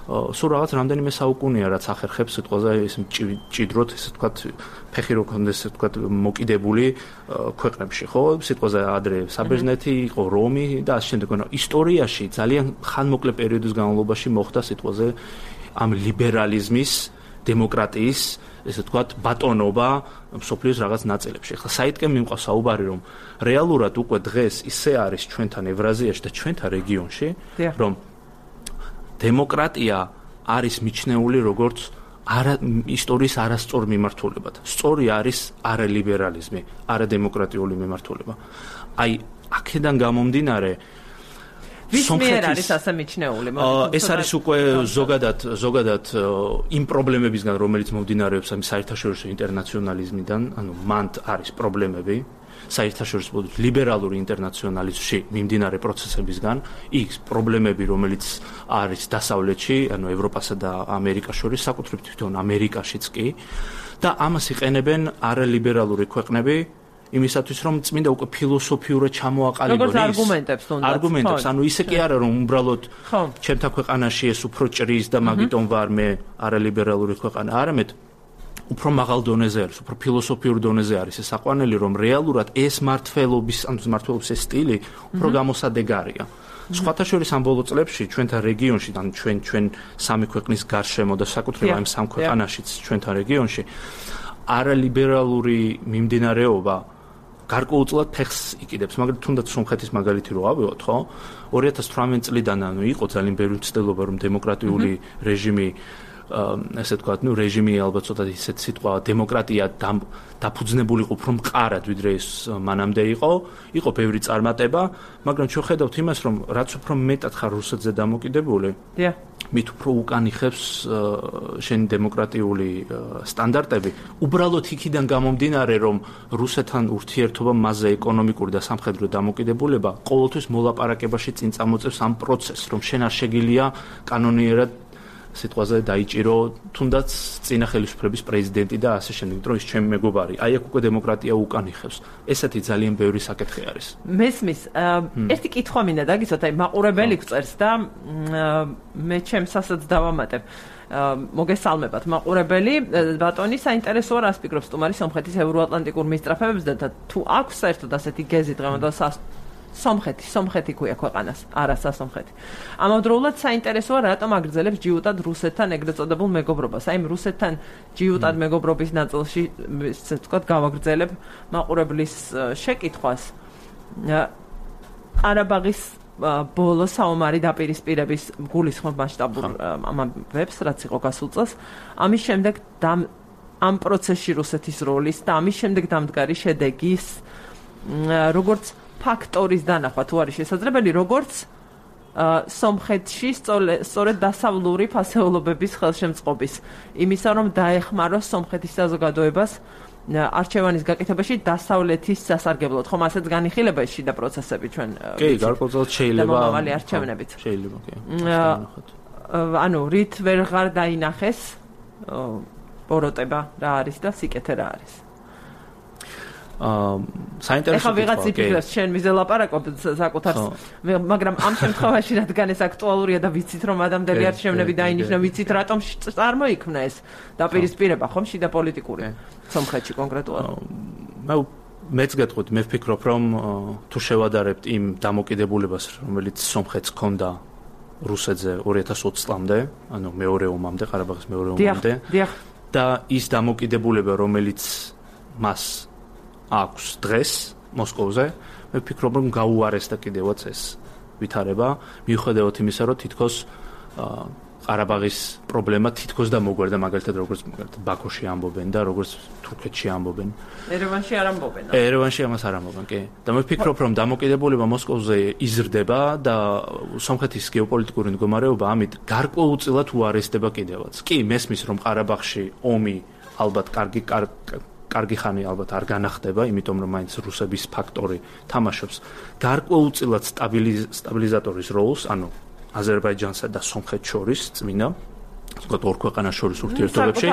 სულ რაღაც რამდენიმე საუკუნეა, რაც ახერხებს სიტყვაზე ეს მჭიდროდ, ასე ვთქვათ, ფეხი რო კონდეს, ასე ვთქვათ, მოკიდებული ქვეყნებში, ხო? სიტყვაზე ადრე საბერძნეთი იყო, რომი და ასე შემდეგ. ისტორიაში ძალიან ხანმოკლე პერიოდის განმავლობაში მოხდა სიტყვაზე ამ ლიბერალიზმის, დემოკრატიის, ესე ვთქვათ, ბატონობა მსოფლიოს რაღაც ნაწილებში. ახლა საითკენ მიმყავს საუბარი, რომ რეალურად უკვე დღეს ისე არის ჩვენთან ევრაზიაში და ჩვენთან რეგიონში, რომ დემოკრატია არის მიჩნეული როგორც ისტორიის არასწორ მიმართულებად. სწორი არის არალიბერალიზმი, არადემოკრატიული მიმართულება. აი, აქედან გამომდინარე ვის მიერ არის ასე მიჩნეული? ეს არის უკვე ზოგადად იმ პრობლემებისგან, რომელიც მომდინარეობს ამ საერთაშორისო ინტერნაციონალიზმიდან, ანუ მანდ არის პრობლემები საერთაშორისო ლიბერალური ინტერნაციონალიზმში მიმდინარე პროცესებისგან, იქ პრობლემები, რომელიც არის დასავლეთში, ანუ ევროპასა და ამერიკას შორის, საკუთრებით თვითონ ამერიკაშიც კი, და ამას იყენებენ არალიბერალური ქვეყნები იმისათვის, რომ წმინდა უკვე ფილოსოფიურად ჩამოაყალიბონ ის არგუმენტებს, ანუ ისე კი არა, რომ უბრალოდ ჩემთან ქვეყანაში ეს უფრო ჭრის და მაგიტომ ვარ მე არალიბერალური ქვეყანა, არამედ უფრო მაღალ დონეზე არის, უფრო ფილოსოფიურ დონეზე არის ეს საყვანელი, რომ რეალურად ეს მართლობის ეს სტილი უფრო გამოსადეგარია. სხვათა შორის ამ ბოლო წლებში ჩვენთან რეგიონში, ან ჩვენ სამი ქვეყნის გარშემო და საკუთრებად ამ სამ ქვეყანაშიც ჩვენთან რეგიონში არალიბერალური მიმდინარეობა გარკვეულწილად ფეხს იკიდებს, მაგრამ თუნდაც სომხეთის მაგალითი რო ავიღოთ, ხო? 2018 წლიდან ანუ იყო ძალიან ბევრი ცდილობა, რომ დემოკრატიული რეჟიმი ესე ვთქვათ, რეჟიმი ალბათ ცოტა ისეთ სიტყვა დემოკრატია დაფუძნებული იყო უფრო მყარად, ვიდრე ეს მანამდე იყო ბევრი წარმატება, მაგრამ ჩვენ ხედავთ იმას, რომ რაც უფრო მეტად ხარ რუსეთზე დამოკიდებული, მით უფრო უკან იხევს შენი დემოკრატიული სტანდარტები. უბრალოდ იქიდან გამომდინარე, რომ რუსეთთან ურთიერთობა მასზე ეკონომიკური და სამხედრო დამოკიდებულება ყოველთვის მოლაპარაკებაში წინ წამოწევს ამ პროცესს, რომ შენ არ შეგიძლია კანონიერად სიტყვაზე დაიჭირო თუნდაც წინა ხელისუფლების პრეზიდენტი და ასე შემდეგ, რომ ის ჩემი მეგობარი. აი აქ უკვე დემოკრატია უკან იხევს. ესეთი ძალიან ბევრი საკითხი არის. მესმის, ერთი კითხვა მინდა დაგიცოთ, აი მაყურებელი გწერს და მე ჩემს ასაც დავამატებ. მოგესალმებათ მაყურებელი, ბატონი საინტერესოა რას ფიქრობს სტუმარი სომხეთის ევროატლანტიკურ მისწრაფებებს და თუ აქვს საერთოდ ასეთი გეზი დღევანდელ სომხეთი ქვია ქვეყანას, არა სასომხეთი. ამავდროულად საინტერესოა რატომ აგრძელებს ჯიუტად რუსეთთან ეგრეთ წოდებულ მეგობრობას. აი რუსეთთან ჯიუტად მეგობრობის ნაწილში, ესე ვთქვათ, გავაგრძელებ მაყურებლის შეკითხვას. ყარაბაღის ბოლო საომარი დაპირისპირების გულისხმობ მასშტაბურ ამბებს, რაც იყო გასულ წელს, ამის შემდეგ ამ პროცესში რუსეთის როლის და ამის შემდეგ დამდგარი შედეგის როგორც ფაქტორის დანახვა თუ არის შესაძლებელი, როგორც სომხეთში სწორედ დასავლური ფასეულობების ხელშემწყობის იმისა, რომ დაეხმაროს სომხეთის საზოგადოებას არჩევანის გაკეთებაში დასავლეთის სასარგებლოდ. ხომ ასეც განიხილება ეს შიდა პროცესები ჩვენ? კი, გარკვეულწილად შეიძლება. მომავალი არჩევნებით. შეიძლება, კი. ანუ რით ვეღარ დაინახეს ბოროტება რა არის და სიკეთე რა არის? საინტერესო ეხლა ვიღაც იფიქრებს შენ მიზელაპარაკობ საკუთარს, მაგრამ ამ შემთხვევაში რადგან ეს აქტუალურია და ვიცით რომ ადამიანები არჩევნები დაინიშნა, ვიცით რატომ წარმოიქმნა ეს დაპირისპირება, ხომ შიდა პოლიტიკური სომხეთში კონკრეტულად. მეც გეტყვით, მე ვფიქრობ რომ თუ შევადარებთ იმ დამოკიდებულებას, რომელიც სომხეთს ჰქონდა რუსეთზე 2020 წლამდე, ანუ მეორე ომამდე, ყარაბაღის მეორე ომამდე და ის დამოკიდებულება, რომელიც მას აქვს დღეს მოსკოვზე, მე ვფიქრობ, რომ გაუარესდა კიდევაც ეს ვითარება, მიუხედავად იმისა, რომ თითქოს ყარაბაღის პრობლემა თითქოს და მოგვერდა მაგალითად როგორც ბაქოში ამბობენ და როგორც თურქეთში ამბობენ. ერევანში არ ამბობენ. ერევანში ამას არ ამბობენ, კი. და მე ვფიქრობ, რომ დამოკიდებულება მოსკოვზე იზრდება და სომხეთის გეოპოლიტიკური მდგომარეობა ამით გარკვეულწილად უარესდება კიდევაც. კი, მესმის რომ ყარაბაღში ომი ალბათ კარგი ხანი ალბათ არ განახდება, იმიტომ რომ მაინც რუსების ფაქტორი თამაშობს გარკვეულწილად სტაბილიზატორის როლს, ანუ აზერბაიჯანსა და სომხეთს შორის წმინდა, თქვათ ორ ქვეყანას შორის ურთიერთობებში.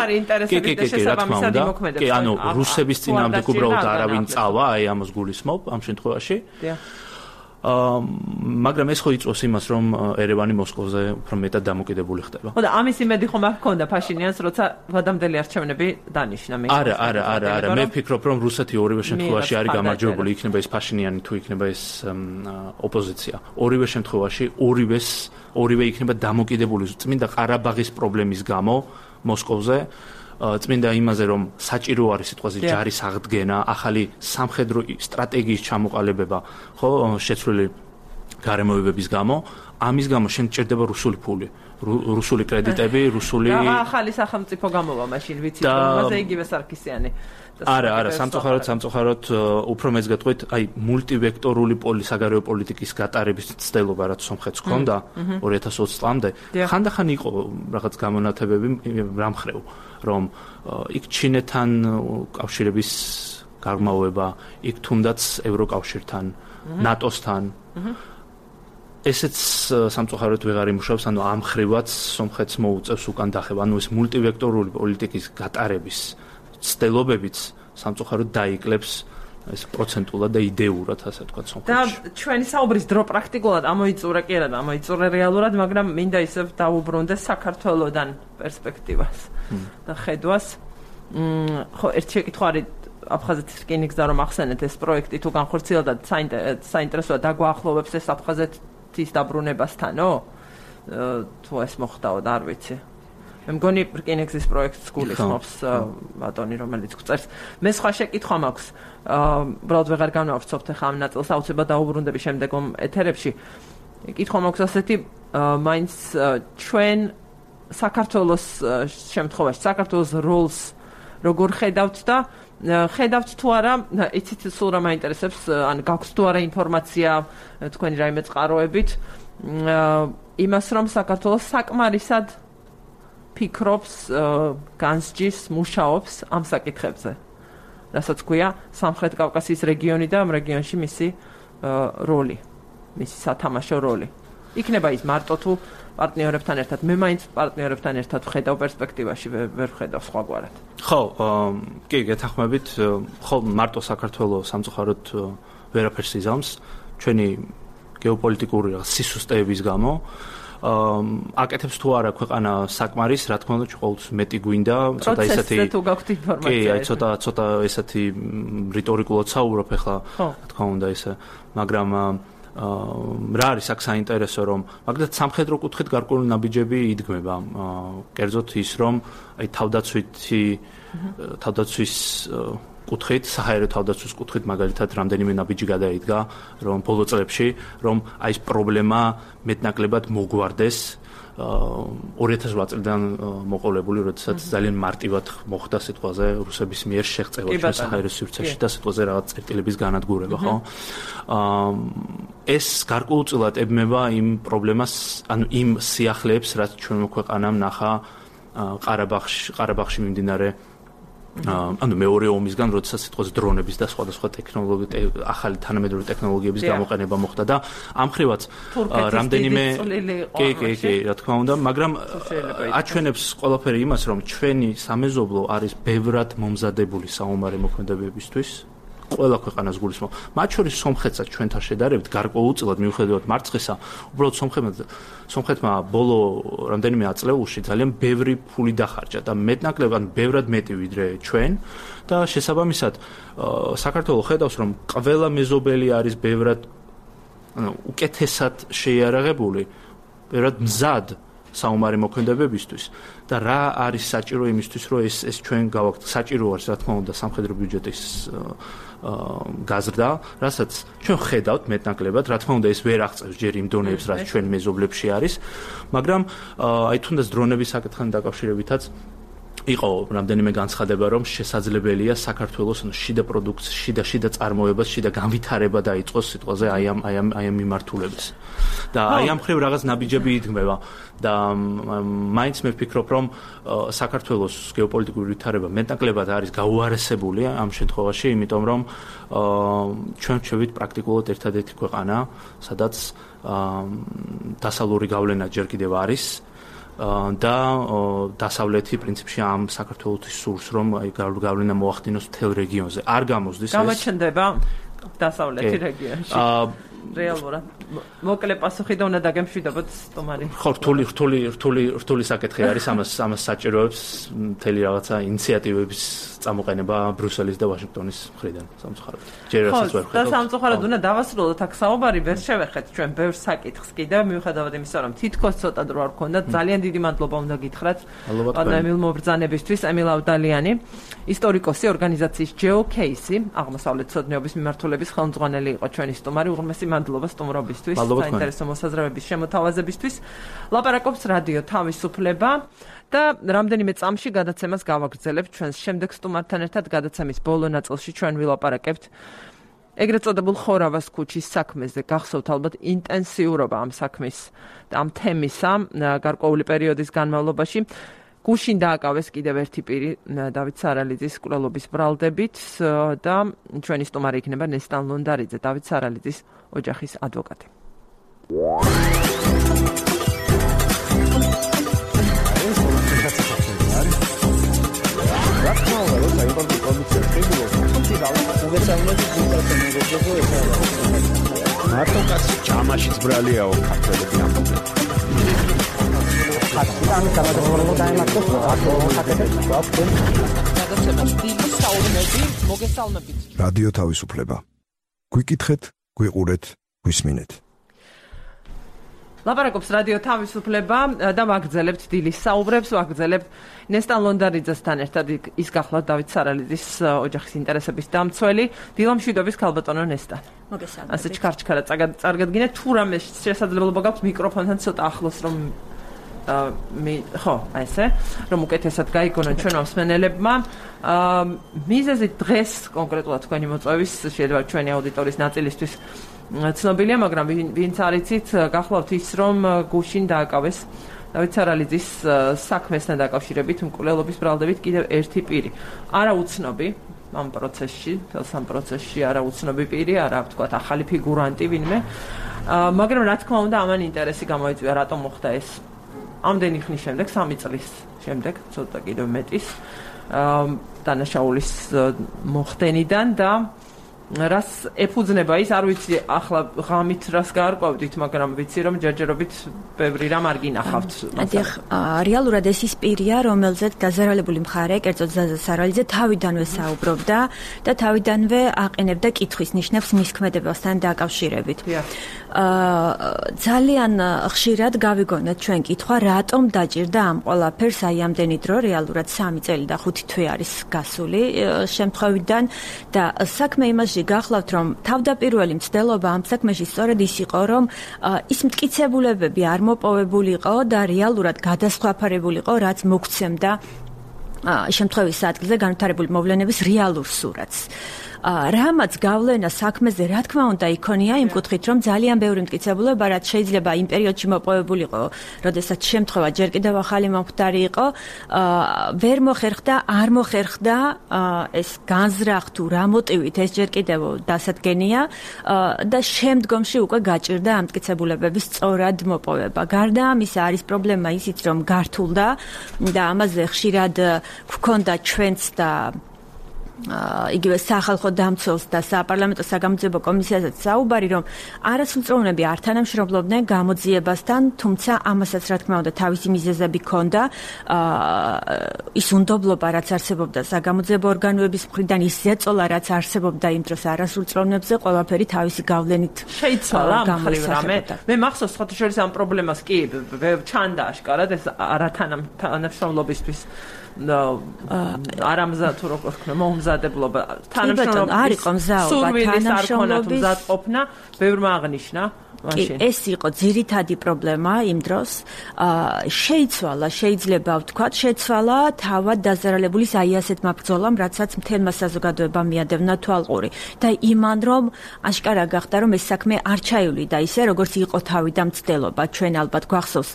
კი, რა თქმა უნდა. კი, ანუ რუსების წინააღმდეგ უბრალოდ არავინ წავა, აი ამას გულისხმობ ამ შემთხვევაში. მაგრამ ეს ხო იწვევს იმას, რომ ერევანი მოსკოვზე უფრო მეტად დამოკიდებული ხდება. ხო და ამის იმედი ხომ არ ჰქონდა ფაშინიანს, როცა ვადამდელი არჩევნები დანიშნა მე. არა, მე ვფიქრობ, რომ რუსეთი ორივე შემთხვევაში არის გამარჯვებული, იქნება ეს ფაშინიანი თუ იქნება ეს ოპოზიცია. ორივე შემთხვევაში ორივე იქნება დამოკიდებული წმინდა ყარაბაღის პრობლემის გამო მოსკოვზე. წმინდა იმაზე, რომ საჭირო არის სიტყვაზე ჯარის აღდგენა, ახალი სამხედრო სტრატეგიის ჩამოყალიბება, ხო, შეცვლილი გარემოებების გამო, ამის გამო შენ ჭირდება რუსული ფული, რუსული კრედიტები, რუსული ახალი სახელმწიფო გამოვა მაშინ ვიცი, რომელზე იგივე სარქისიანი. არა, სამწუხაროდ უფრო მეც გეტყვით, აი მულტივექტორული საგარეო პოლიტიკის გატარების ცდელობა, რაც სომხეთს ჰქონდა 2020 წლამდე, ხანდახან იყო რაღაც გამონათებები რამხრევ, რომ იქ ჩინეთთან კავშირების გაღრმავება, იქ თუნდაც ევროკავშირთან, ნატოსთან. ესეც სამწუხაროდ ვეღარ იმუშავებს, ანუ ამ ხრივაც სომხეთს მოუწევს უკან დახევა, ანუ ეს მულტივექტორული პოლიტიკის გატარების ცდელობებიც სამწუხაროდ დაიკლებს ეს პროცენტულად და იდეურად, ასე ვთქვათ, სომხეთში. და ჩვენი საუბრის დრო პრაქტიკულად ამოიწურა კი არა და ამოიწურა რეალურად, მაგრამ მინდა ისევ დავუბრუნდეს საქართველოსთან პერსპექტივას და ხედვას. ხო, ერთი შეკითხვა არის აფხაზეთის რკინიგზა რომ ახსენეთ ეს პროექტი თუ განხორციელდა და საინტერესოა დაგვაახლოვებს ეს აფხაზეთის დაბრუნებასთანო? თუ ეს მოხდაო და არ ვიცი. მე მგონი რკინიგზის პროექტს გულისხმობს ბატონი, რომელიც გვწერს. მე სხვა შეკითხვა მაქვს. უბრალოდ ვეღარ განვავრცობთ ახლა ამ ნაწილს, აუცილებლად დაუბრუნდები შემდეგომ ეთერებში. კითხვა მაქვს ასეთი, მაინც ჩვენ საქართველოს შემთხვევაში, საქართველოს როლს როგორ ხედავთ და ხედავთ თუ არა, იცით სულ რა მაინტერესებს, ან გაქვს თუ არა ინფორმაცია თქვენი რაიმე წყაროებით, იმას რომ საქართველოს საკმარისად ფიქრობს, განსჯის, მუშაობს ამ საკითხებზე. რასაც ქვია სამხრეთ კავკასიის რეგიონი და ამ რეგიონში მისი როლი, მისი სათამაშო როლი. იქნება ის მარტო თუ პარტნიორებთან ერთად. მე მაინც პარტნიორებთან ერთად ვხედავ პერსპექტივაში, ვერ ვხედავ სხვაგვარად. ხო, კი, გეთანხმებით, ხო, მარტო საქართველოს სამწუხაროდ ვერაფერს იზამს ჩვენი გეოპოლიტიკური სისუსტეების გამო. აკეთებს თუ არა ქვეყანა საკმარის, რა თქმა უნდა, ყოველთვის მეტი გვინდა, ცოტა ისეთი თუ გაქვთ ინფორმაცია. კი, ცოტა ესეთი რიტორიკულად საუბრობ ახლა, რა თქმა უნდა ისე, მაგრამ რა არის აქ საინტერესო, რომ მაგალითად სამხედრო კუთხით გარკვეული ნაბიჯები იდგმება. კერძოდ ის, რომ აი თავდაცვის კუთხით, საჰაერო თავდაცვის კუთხით მაგალითად რამდენიმე ნაბიჯი გადაიდგა, რომ ბოლო წლებში, რომ აი ეს პრობლემა მეტნაკლებად მოგვარდეს 2008 წლიდან მოყოლებული, როდესაც ძალიან მარტივად მოხდა სიტყვაზე რუსების მიერ შეღწევა ჩვენ საჰაერო სივრცეში და სიტყვაზე რაღაც წერტილების განადგურება, ხო? ეს გარკვეულწილად ებმება იმ პრობლემას, ანუ იმ სიახლეებს, რაც ჩვენმა ქვეყანამ ნახა ყარაბაღში მიმდინარე ანუ მეორე ომისგან, როდესაც სიტყვაზე დრონების და სხვადასხვა ახალი თანამედროვე ტექნოლოგიების გამოყენება მოხდა და ამ ხრივაც რამდენიმე კი, რა თქმა უნდა, მაგრამ აჩვენებს ყველაფერი იმას, რომ ჩვენი სამეზობლო არის ბევრად მომზადებული საომარი მოქმედებებისთვის. ყველა ქვეყანას გულისხმობ. მათ შორის სომხეთსაც ჩვენთან შედარებით გარკვეულწილად მიუხედავად მარცხისა, უბრალოდ სომხეთმა ბოლო რამდენიმე აწლეულში ძალიან ბევრი ფული დახარჯა და მეტნაკლებად ბევრად მეტი ვიდრე ჩვენ და შესაბამისად საქართველოს ხედავს, რომ ყველა მეზობელი არის ბევრად უკეთესად შეიარაღებული, ბევრად მზად საომარი მოქმედებებისთვის და რა არის საჭირო იმისთვის, რომ ეს ჩვენ გავაკეთოთ. საჭირო არის, რა თქმა უნდა, სამხედრო ბიუჯეტის გაზრდა, რასაც ჩვენ ხედავთ მეტნაკლებად, რა თქმა უნდა, ეს ვერ აღწევს ჯერ იმ დონეებს, რაც ჩვენ მეზობლებში არის, მაგრამ აი თუნდაც დრონების საკითხთან დაკავშირებითაც იყო რამდენიმე განცხადება, რომ შესაძლებელია საქართველოს შიდა პროდუქციის, შიდა წარმოებას, შიდა განვითარება დაიწყოს სიტყვაზე აი ამ მიმართულებას. და აი ამ ხრივ რაღაც ნაბიჯები იდგმება და მაინც მე ვფიქრობ, რომ საქართველოს გეოპოლიტიკური ვითარება მეტნაკლებად არის გაუარესებული ამ შემთხვევაში, იმიტომ რომ ჩვენ ვჩევით პრაქტიკულად ერთადერთი ქვეყანა, სადაც დასავლური გავლენა ჯერ კიდევ არის და დასავლეთი პრინციპში ამ საქართველოს სურს, რომ აი გავლენა მოახდინოს მთელ რეგიონზე. არ გამოსდის ეს. გამოჩნდება დასავლეთი რეგიონში. რეალურად. მოკლე პასუხი და უნდა დაგემშვიდობოთ სტუმარი. ხო, რთული საკითხი არის, ამას საჭიროებს მთელი რაღაცა ინიციატივების წამოყენება ბრიუსელის და ვაშინგტონის მხრიდან სამწუხაროდ. ჯერ რასაც ვერ ხედავთ. და სამწუხაროდ უნდა დავასრულოთ აქ საუბარი, ვერ შევეხეთ ჩვენ ბევრ საკითხს კიდევ, მიუხედავად იმისა, რომ თითქოს ცოტა დრო არ გქონდათ. ძალიან დიდი მადლობა უნდა გითხრათ პანელ მობრძანებისთვის, ემილ ავდალიანი, ისტორიკოსი, ორგანიზაციის GeoCase, აღმოსავლეთ ცოდნეობის მიმართულების ხელმძღვანელი იყო ჩვენი სტუმარი. უღრმესი მადლობა სტუმრობისთვის, საინტერესო მოსაზრებების შემოთავაზებისთვის. ლაპარაკობს რადიო თავისუფლება და რამდენიმე წამში გადაცემას გავაგრძელებთ ჩვენს შემდეგ სტუმართან ერთად. გადაცემის ბოლო ნაწილში ჩვენ ვილაპარაკებთ ეგრეთ წოდებულ ხორავას ქუჩის საქმეზე. გახსოვთ ალბათ ინტენსიურობა ამ საქმის და ამ თემისა გარკვეული პერიოდის განმავლობაში. გუშინ დააკავეს კიდევ ერთი პირი დავით სარალიძის მკვლელობის ბრალდებით და ჩვენი სტუმარი იქნება ნესტან ლონდარიძე, დავით სარალიძის ოჯახის ადვოკატი. მარტო კაცი ჯამაშიც ბრალიაო ქართველები ამბობენ. რადიო თავისუფლება. გვიკითხეთ, გვიყურეთ, გვისმინეთ. ლაპარაკობს რადიო თავისუფლება და ვაგრძელებთ დილის საუბრებს, ვაგრძელებთ ნესტან ლონდარიძესთან ერთად ის გახლავთ დავით სარალიძის ოჯახის ინტერესების დამცველი. დილამშვიდობის ქალბატონო ნესტან. მოგესალმებით. ასე ჩქარჩქარა წარგადგინეთ, თუ რამე შესაძლებლობა გაქვთ მიკროფონთან ცოტა ახლოს რომ ხო, აი ესე, რომ უკეთესად გაიგონოთ ჩვენ მსმენელებმა. მიზეზი დღეს კონკრეტულად თქვენი მოწვევის შეიძლება ჩვენი აუდიტორიის ნაწილისთვის ცნობილია, მაგრამ ვინც არ იცით, გახლავთ ის, რომ გუშინ დააკავეს დავით სარალიძის საქმესთან დაკავშირებით მკვლელობის ბრალდებით კიდევ ერთი პირი. არაუცნობი ამ პროცესში, ამ პროცესში არაუცნობი პირი, არა ვთქვათ ახალი ფიგურანტი ვინმე. მაგრამ რა თქმა უნდა, ამან ინტერესი გამოიწვია, რატომ მოხდა ეს. ამდენი ხნის შემდეგ, 3 წლის შემდეგ, ცოტა კიდევ მეტის, დანაშაულის მოხდენიდან და რას ეფუძნება ის, არ ვიცი, ახლა ღამით რას გაარკვევდით, მაგრამ ვიცი, რომ ჯერჯერობით ბევრი რამ არ გინახავთ. დიახ, რეალურად ეს ის პირია, რომელზეც დაზარალებული მხარე, კერძოდ ზაზა სარალიძე თავიდანვე საუბრობდა და თავიდანვე აყენებდა კითხვის ნიშნებს მის ქმედებასთან დაკავშირებით. ძალიან ხშირად გავიგონეთ ჩვენ კითხვა, რატომ დაჭირდა ამ ყველაფერს აი ამდენი დრო, რეალურად 3 წელი და 5 თვე არის გასული შემთხვევიდან და საქმე იმაში გახლავთ, რომ თავდაპირველი მცდელობა ამ საქმეში სწორედ ის იყო, რომ ის მტკიცებულებები არ მოპოვებულიყო და რეალურად გადასხვაფარებულიყო, რაც მოგცემდა შემთხვევის ადგილზე განვითარებული მოვლენების რეალურ სურათს. რამაც გავლენა საქმეზე, რა თქმა უნდა, იქონია იმ კუთხით, რომ ძალიან ბევრი მტკიცებულება, რაც შეიძლება იმ პერიოდში მოპოვებულიყო, როდესაც შემთხვევა ჯერ კიდევ ახალი მომხდარი იყო, ვერ მოხერხდა, არ მოხერხდა ეს განზრახ თუ რა მოტივით ეს ჯერ კიდევ დასადგენია და შემდგომში უკვე გაჭირდა ამ მტკიცებულებების სწორად მოპოვება. გარდა ამისა, არის პრობლემა ისიც, რომ გართულდა და ამაზე ხშირად გვქონდა ჩვენც და იგივე სახალხო დამცველს და საპარლამენტო საგამოძიებო კომისიასაც საუბარი, რომ არასრულწლოვნები არ თანამშრომლობდნენ გამოძიებასთან, თუმცა ამასაც რა თქმა უნდა თავისი მიზეზები ჰქონდა. ის უნდობლობა, რაც არსებობდა საგამოძიებო ორგანოების მხრიდან, ის ზეწოლა, რაც არსებობდა იმ დროს არასრულწლოვნებზე, ყველაფერი თავისი გავლენით შეიცვალა ამ ხრივ რამე. მე მახსოვს ხოთი შორის ამ პრობლემას კი ჩანდა აშკარად ეს არათანამშრომლობისთვის არამზა თუ როგორ ვქნა მოუმზადებლობა თანამშრომლობის თანამშრომლობის მზადყოფნა ბევრმა აღნიშნა მაშინ ეს იყო ძირითადი პრობლემა იმ დროს შეიცვალა შეიძლება ვთქვათ შეცვალა თავად დაზარალებულის აი ასეთმა ბრძოლამ რასაც მთელმა საზოგადოებამ მიადევნა თვალყური და იმან რომ აშკარა გახდა რომ ეს საქმე არ ჩაივლიდა ისე როგორც იყო თავიდან მცდელობა ჩვენ ალბათ გვახსოვს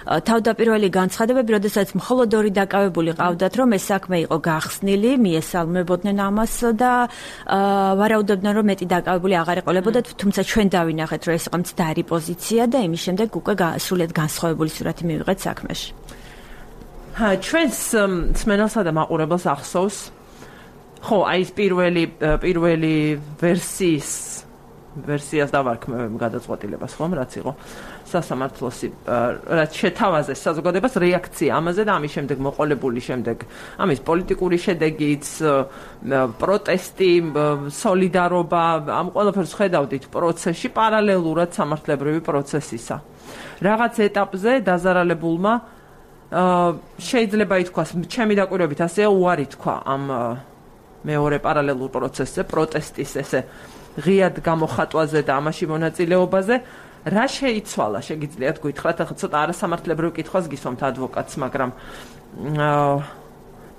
თავდაპირველი განცხადებები, როდესაც მხოლოდ 2 დაკავებული ყავდათ, რომ ეს საქმე იყო გახსნილი, მიესალმებოდნენ ამას და ვარაუდობდნენ, რომ მეტი დაკავებული აღარ ეყოლებოდათ, თუმცა ჩვენ დავინახეთ, რომ ეს იყო მცდარი პოზიცია და იმის შემდეგ უკვე სრულიად განსხვავებული სურათი მივიღეთ საქმეში. ჩვენს მსმენელსა და მაყურებელს ახსოვს, ხო, აი ეს პირველი ვერსიას დავარქმევ გადაწყვეტილებას, ხომ, რაც იყო სასამართლოსი, რაც შეთავაზეს საზოგადოებას რეაქცია ამაზე და ამის შემდეგ მოყოლებული შემდეგ ამის პოლიტიკური შედეგიც, პროტესტი, სოლიდარობა, ამ ყველაფერს ხედავდით პროცესში პარალელურად სამართლებრივი პროცესისა. რაღაც ეტაპზე დაზარალებულმა შეიძლება ითქვას, ჩემი დაკვირვებით ასეა უარი თქვა ამ მეორე პარალელურ პროცესზე, პროტესტის ესე ღიად გამოხატვაზე და ამაში მონაწილეობაზე. რა შეიცვალა, შეგიძლიათ გითხრათ, ახლა ცოტა არასამართლებრივ კითხვას გისვამთ ადვოკატს, მაგრამ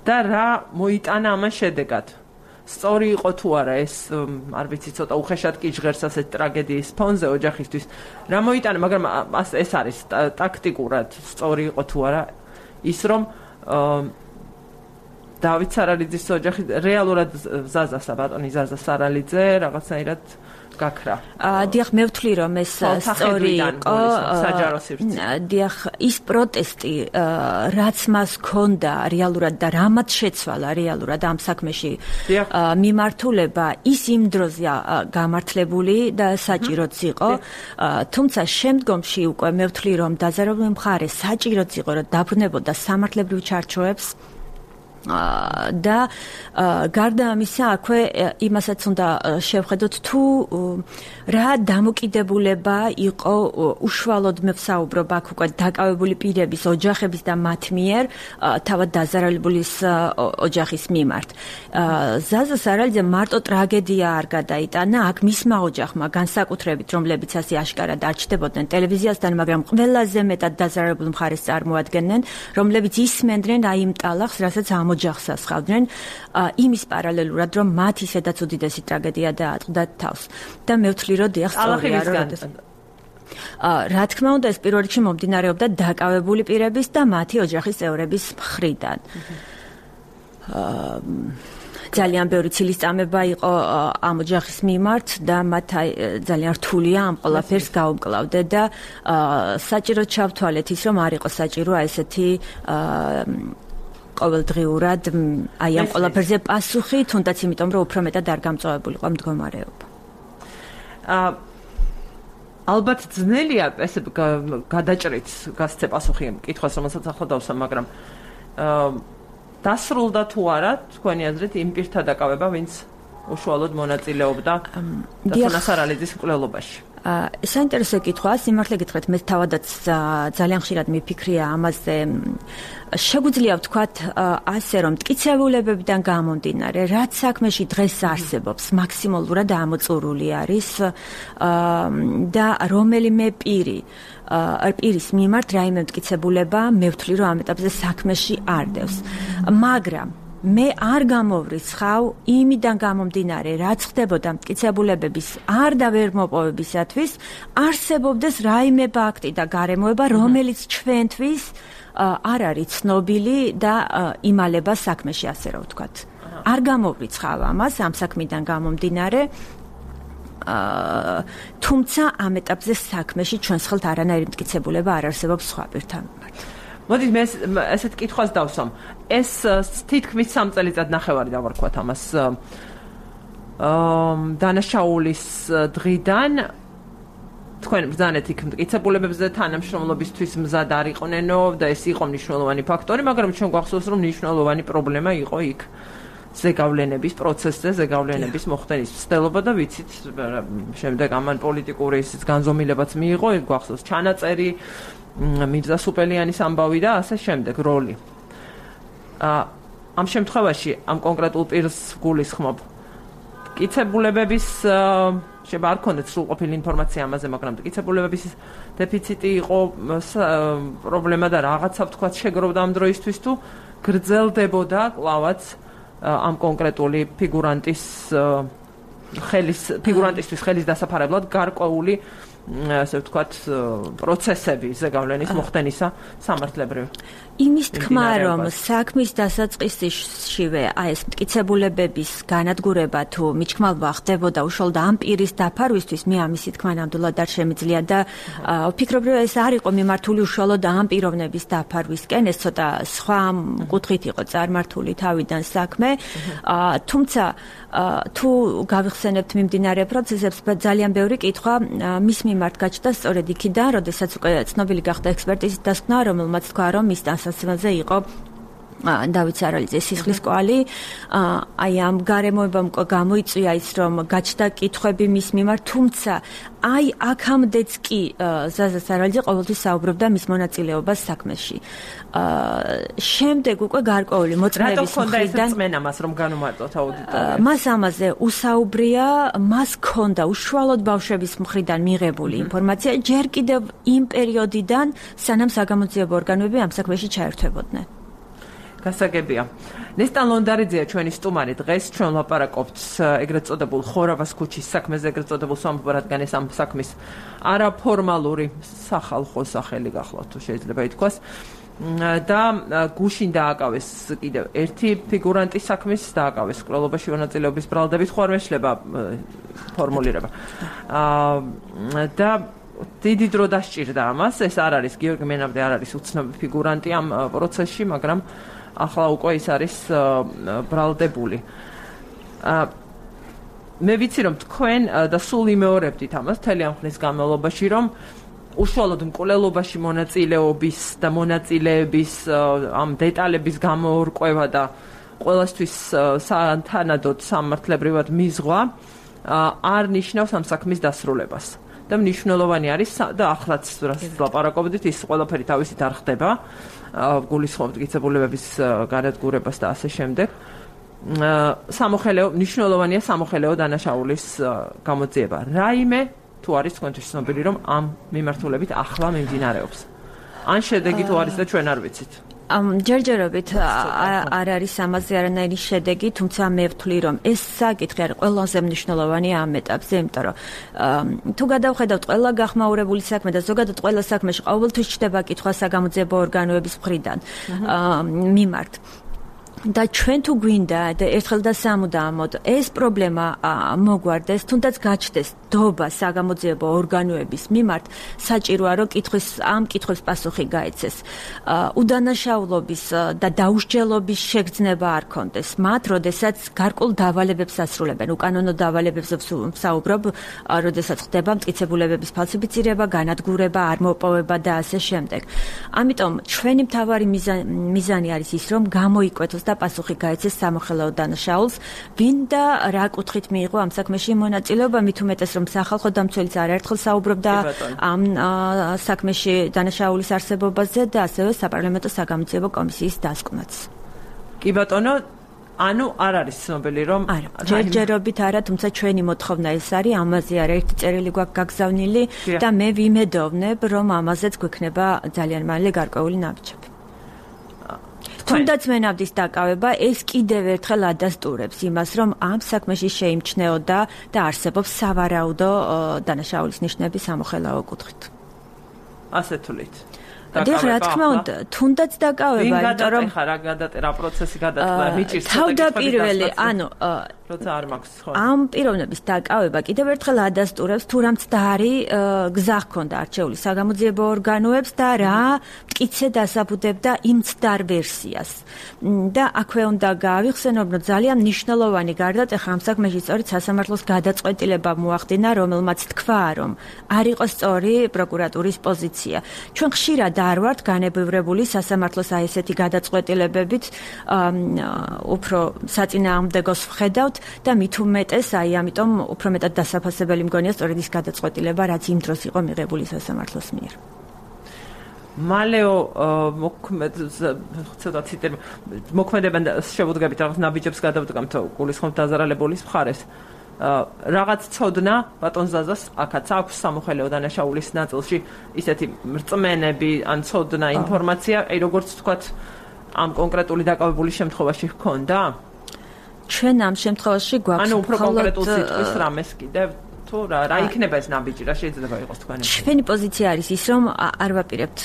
და რა მოიტანა ამან შედეგად? სწორი იყო თუ არა ეს, არ ვიცი, ცოტა უხეშად კი ჟღერს ასეთ ტრაგედიის ფონზე ოჯახისთვის. რა მოიტანა, მაგრამ ეს არის ტაქტიკურად სწორი იყო თუ არა ის, რომ დავით სარალიძის ოჯახი რეალურად ზაზასა ბატონი ზაზა სარალიძე რაღაცნაირად გაქრა. დიახ, მე ვთვლი რომ ეს სწორი იყო საჯარო სივრცე. დიახ, ის პროტესტი რაც მას ჰქონდა რეალურად და რამაც შეცვალა რეალურად ამ საქმეში მიმართულება ის იმ დროზე გამართლებული და საჭიროც იყო, თუმცა შემდგომში უკვე მე ვთვლი რომ დაზარალებული მხარე საჭიროც იყო რომ დაბრუნებოდა სამართლებრივ ჩარჩოებს და გარდა ამისა აქვე იმასაც უნდა შევხედოთ თუ რა დამოკიდებულება იყო უშუალოდ მე ვსაუბრობ აქ უკვე დაკავებული პირების ოჯახების და მათ მიერ თავად დაზარალებულის ოჯახის მიმართ. ზაზა სარალიძე მარტო ტრაგედია არ გადაიტანა აქ მისმა ოჯახმა განსაკუთრებით რომლებიც ასე აშკარად არ ჩდებოდნენ ტელევიზიასთან, მაგრამ ყველაზე მეტად დაზარალებულ მხარეს წარმოადგენდნენ, რომლებიც ისმენდნენ აი იმ ტალახს, რასაც ოჯახს ასხავდნენ იმის პარალელურად რომ მათ ისედაც უდიდესი ტრაგედია დაატყდათ თავს და მე ვთვლი რომ დიახ სწორია რომ რა თქმა უნდა ეს პირველ რიგში მომდინარეობდა დაკავებული პირების და მათი ოჯახის წევრების მხრიდან ძალიან ბევრი ცილისწამება იყო ამ ოჯახის მიმართ და მათ ძალიან რთულია ამ ყველაფერს გაუმკლავდე და საჭირო ჩავთვალეთ ის რომ არ იყო საჭირო ესეთი ყოველდღიურად აი ამ ყველაფერზე პასუხი, თუნდაც იმიტომ რომ უფრო მეტად არ გამწვავებული იყო მდგომარეობა. ალბათ ძნელია ესე გადაჭრით გასცე პასუხი კითხვას, რომელსაც ახლა დავსვამ, მაგრამ დასრულდა თუ არა თქვენი აზრით იმ პირთა დაკავება, ვინც უშუალოდ მონაწილეობდა დათონა სარალიძის მკვლელობაში. საინტერესო კითხვაა, სიმართლე გითხრათ, მე თავადაც ძალიან ხშირად მიფიქრია ამაზე. შეგვიძლია ვთქვათ ასე რომ მტკიცებულებებიდან გამომდინარე, რაც საქმეში დღეს არსებობს, მაქსიმალურად ამოწურული არის და რომელიმე პირის მიმართ რაიმე მტკიცებულება მე ვთვლი რომ ამ ეტაპზე საქმეში არ დევს. მაგრამ მე არ გამოვრიცხავ იმიდან გამომდინარე, რაც ხდებოდა მტკიცებულებების არ და ვერ მოპოვებისათვის, არსებობდეს რაიმე ფაქტი და გარემოება, რომელიც ჩვენთვის არ არის ცნობილი და იმალება საქმეში, ასე რომ ვთქვათ. არ გამოვრიცხავ ამას ამ საქმიდან გამომდინარე, თუმცა ამ ეტაპზე საქმეში ჩვენს ხელთ არანაირი მტკიცებულება არ არსებობს სხვა პირთან მიმართ. მოდით მე ესეთ კითხვას დავსვამ. ეს თითქმის 3 წელიწად ნახევარი დავარქვათ ამას. დანაშაულის დღიდან თქვენ ბრძანეთ იქ მტკიცებულებებზე თანამშრომლობისთვის მზად არ იყვნენო და ეს იყო მნიშვნელოვანი ფაქტორი, მაგრამ ჩვენ გვახსოვს რომ მნიშვნელოვანი პრობლემა იყო იქ ზეგავლენების პროცესზე, ზეგავლენების მოხდენის ცდელობა და ვიცით შემდეგ ამან პოლიტიკური ისიც განზომილებაც მიიღო, გვახსოვს ჩანაწერი, მირზა სუპელიანის ამბავი და ასე შემდეგ როლი. ამ შემთხვევაში ამ კონკრეტულ პირს გულისხმობ მტკიცებულებების შეიძლება არ ქონდეთ სრულყოფილი ინფორმაცია ამაზე, მაგრამ მტკიცებულებების დეფიციტი იყო პრობლემა და რაღაცა ვთქვათ შეგროვდა ამ დროისთვის თუ გრძელდებოდა კლავაც ამ კონკრეტული ფიგურანტისთვის ხელის დასაფარებლად გარკვეული ასე ვთქვათ პროცესები ზეგავლენის მოხდენისა სამართლებრივ. იმის თქმა რომ საქმის დასაწყისშივე ეს მტკიცებულებების განადგურება თუ მიჩქმალვა ხდებოდა უშუალოდ ამ პირის დაფარვისთვის, მე ამისი თქმა ნამდვილად არ შემიძლია და ვფიქრობ რომ ეს არ იყო მიმართული უშუალოდ ამ პიროვნების დაფარვისკენ, ეს ცოტა სხვა კუთხით იყო წარმართული თავიდან საქმე, თუმცა თუ გავიხსენებთ მიმდინარე პროცესებს, ძალიან ბევრი კითხვა მის მიმართ გაჩნდა სწორედ იქიდან, როდესაც უკვე ცნობილი გახდა ექსპერტიზის დასკვნა, რომელმაც თქვა რომ მის დასაცავზე იყო დავით სარალიძის სისხლის კვალი. აი ამ გარემოებამ გამოიწვია ის რომ გაჩნდა კითხვები მის მიმართ, თუმცა აი აქამდეც კი ზაზა სარალიძე ყოველთვის საუბრობდა მის მონაწილეობას საქმეში. შემდეგ უკვე გარკვეული მოწმეების მხრიდან მას რომ განუმარტოთ აუდიტორიას. მას ამაზე უსაუბრია, მას ჰქონდა უშუალოდ ბავშვების მხრიდან მიღებული ინფორმაცია ჯერ კიდევ იმ პერიოდიდან, სანამ საგამოძიებო ორგანოები ამ საქმეში ჩაერთვებოდნენ. გასაგებია. ნესტან ლონდარიძეა ჩვენი სტუმარი დღეს, ჩვენ ვლაპარაკობთ ეგრეთ წოდებულ ხორავას ქუჩის საქმეზე, ეგრეთ წოდებულ სამეფო რადგან ეს ამ საქმის არაფორმალური სახალხო სახელი გახლავთ, თუ შეიძლება ითქვას. და გუშინ დააკავეს კიდევ ერთი ფიგურანტის საქმის დააკავეს კვლელობაში მონაწილეობის ბრალდებით, ხო არ მეშლება ფორმულირება. და დიდი დრო დასჭირდა ამას, ეს არ არის გიორგი მენაბდი არ არის უცნობი ფიგურანტი ამ პროცესში, მაგრამ ახლა უკვე ის არის ბრალდებული. მე ვიცი რომ თქვენ და სულ იმეორებდით ამას მთელი ამ ხნის განმავლობაში, რომ უშუალოდ მკვლელობაში მონაწილეობის და მონაწილეების ამ დეტალების გამოურკვევა და ყველასთვის თანადოდ სამართლებრივად მიზღვა არ ნიშნავს ამ საქმის დასრულებას. და მნიშვნელოვანი არის და ახლაც რასაც ლაპარაკობდით, ის ყველაფერი თავისით არ ხდება. გულისხმობთ მტკიცებულებების განადგურებას და ასე შემდეგ. მნიშვნელოვანია სამოხელეო დანაშაულის გამოძიება. რაიმე თუ არის თქვენთვის ცნობილი, რომ ამ მიმართულებით ახლა მიმდინარეობს. ან შედეგი თუ არის და ჩვენ არ ვიცით. ჯერჯერობით არ არის ამაზე არანაირი შედეგი, თუმცა მე ვთვლი რომ ეს საკითხი არის ყველაზე მნიშვნელოვანი ამ ეტაპზე, იმიტომ რომ თუ გადავხედავთ ყველა გახმაურებული საქმე და ზოგადად ყველა საქმეში ყოველთვის ჩნდება კითხვა საგამოძიებო ორგანოების მხრიდან მიმართ. და ჩვენ თუ გვინდა და ერთხელ და სამუდამოდ ეს პრობლემა მოგვარდეს, თუნდაც გაჩნდეს დობა საგამოძიებო ორგანოების მიმართ, საჭიროა რომ ამ კითხვის პასუხი გაეცეს. უდანაშაულობის და დაუსჯელობის შეგრძნება არ კონდეს მათ, როდესაც გარკვეულ დავალებებს ასრულებენ, უკანონო დავალებებს ვსაუბრობ, როდესაც ხდება მტკიცებულებების ფალსიფიცირება, განადგურება, არმოპოვება და ასე შემდეგ. ამიტომ ჩვენი მთავარი მიზანი არის ის, რომ გამოიკვეთოს და პასუხი გაეცეს სამოხელეო დანაშაულს, ვინ და რა კუთხით მიიღო ამ საქმეში მონაწილეობა, მით უმეტეს რომ სახალხო დამცველიც არაერთხელ საუბრობდა ამ საქმეში დანაშაულის არსებობაზე და ასევე საპარლამენტო საგამოძიებო კომისიის დასკვნაც. კი ბატონო, ანუ არ არის ცნობილი რომ ჯერჯერობით არა, თუმცა ჩვენი მოთხოვნა ეს არის, ამაზე არაერთი წერილი გვაქვს გაგზავნილი და მე ვიმედოვნებ, რომ ამაზეც გვექნება ძალიან მალე გარკვეული ნაბიჯები. თუნდაც მენაბდის დაკავება ეს კიდევ ერთხელ ადასტურებს იმას, რომ ამ საქმეში შეიმჩნეოდა და არსებობს სავარაუდო დანაშაულის ნიშნები სამოხელეო კუთხით. ასე თვლით. დიახ, რა თქმა უნდა, თუნდაც დაკავება, იმიტომ რომ ხა რა პროცესი გადაწყდა, მიჭირს თავდაპირველი, ანუ როცა არ მაქვს ხო. ამ პიროვნების დაკავება კიდევ ერთხელ ადასტურებს თუ რა მცდარი გზა ჰქონდა არჩეული საგამოძიებო ორგანოებს და რა მტკიცე დასაბუდებდა იმ მცდარ ვერსიას. და აქვე უნდა გაავიხსენოთ, რომ ძალიან მნიშვნელოვანი გარდატეხა ამ საქმეში სწორედ სასამართლოს გადაწყვეტილება მოახდინა, რომელმაც თქვა, რომ არ იყო სწორი პროკურატურის პოზიცია. ჩვენ ხშირად არ ვართ განებევრებული სასამართლოს აი ესეთი გადაწყვეტილებებით, უფრო საწინააღმდეგოს ვხედავთ და მით უმეტეს აი ამიტომ უფრო მეტად დასაფასებელი მგონია სწორედ ის გადაწყვეტილება, რაც იმ დროს იყო მიღებული სასამართლოს მიერ. მალეო მოქმედებენ შევუდგებით რაღაც ნაბიჯებს გადავდგამთ გულისხმობ დაზარალებულის მხარეს. რაღაც ცოდნა ბატონ ზაზას აქაც აქვს სამოხელეო დანაშაულის ნაწილში ისეთი მრწმენები ან ცოდნა ინფორმაცია, აი როგორც თქვათ ამ კონკრეტული დაკავებული შემთხვევაში ჰქონდა? ჩვენ ამ შემთხვევაში გვაქვს ანუ უფრო კონკრეტულ სიტყვის რამეს კიდევ თუ რა იქნება ეს ნაბიჯი, რა შეიძლება იყოს თქვენი? ჩვენი პოზიცია არის ის, რომ არ ვაპირებთ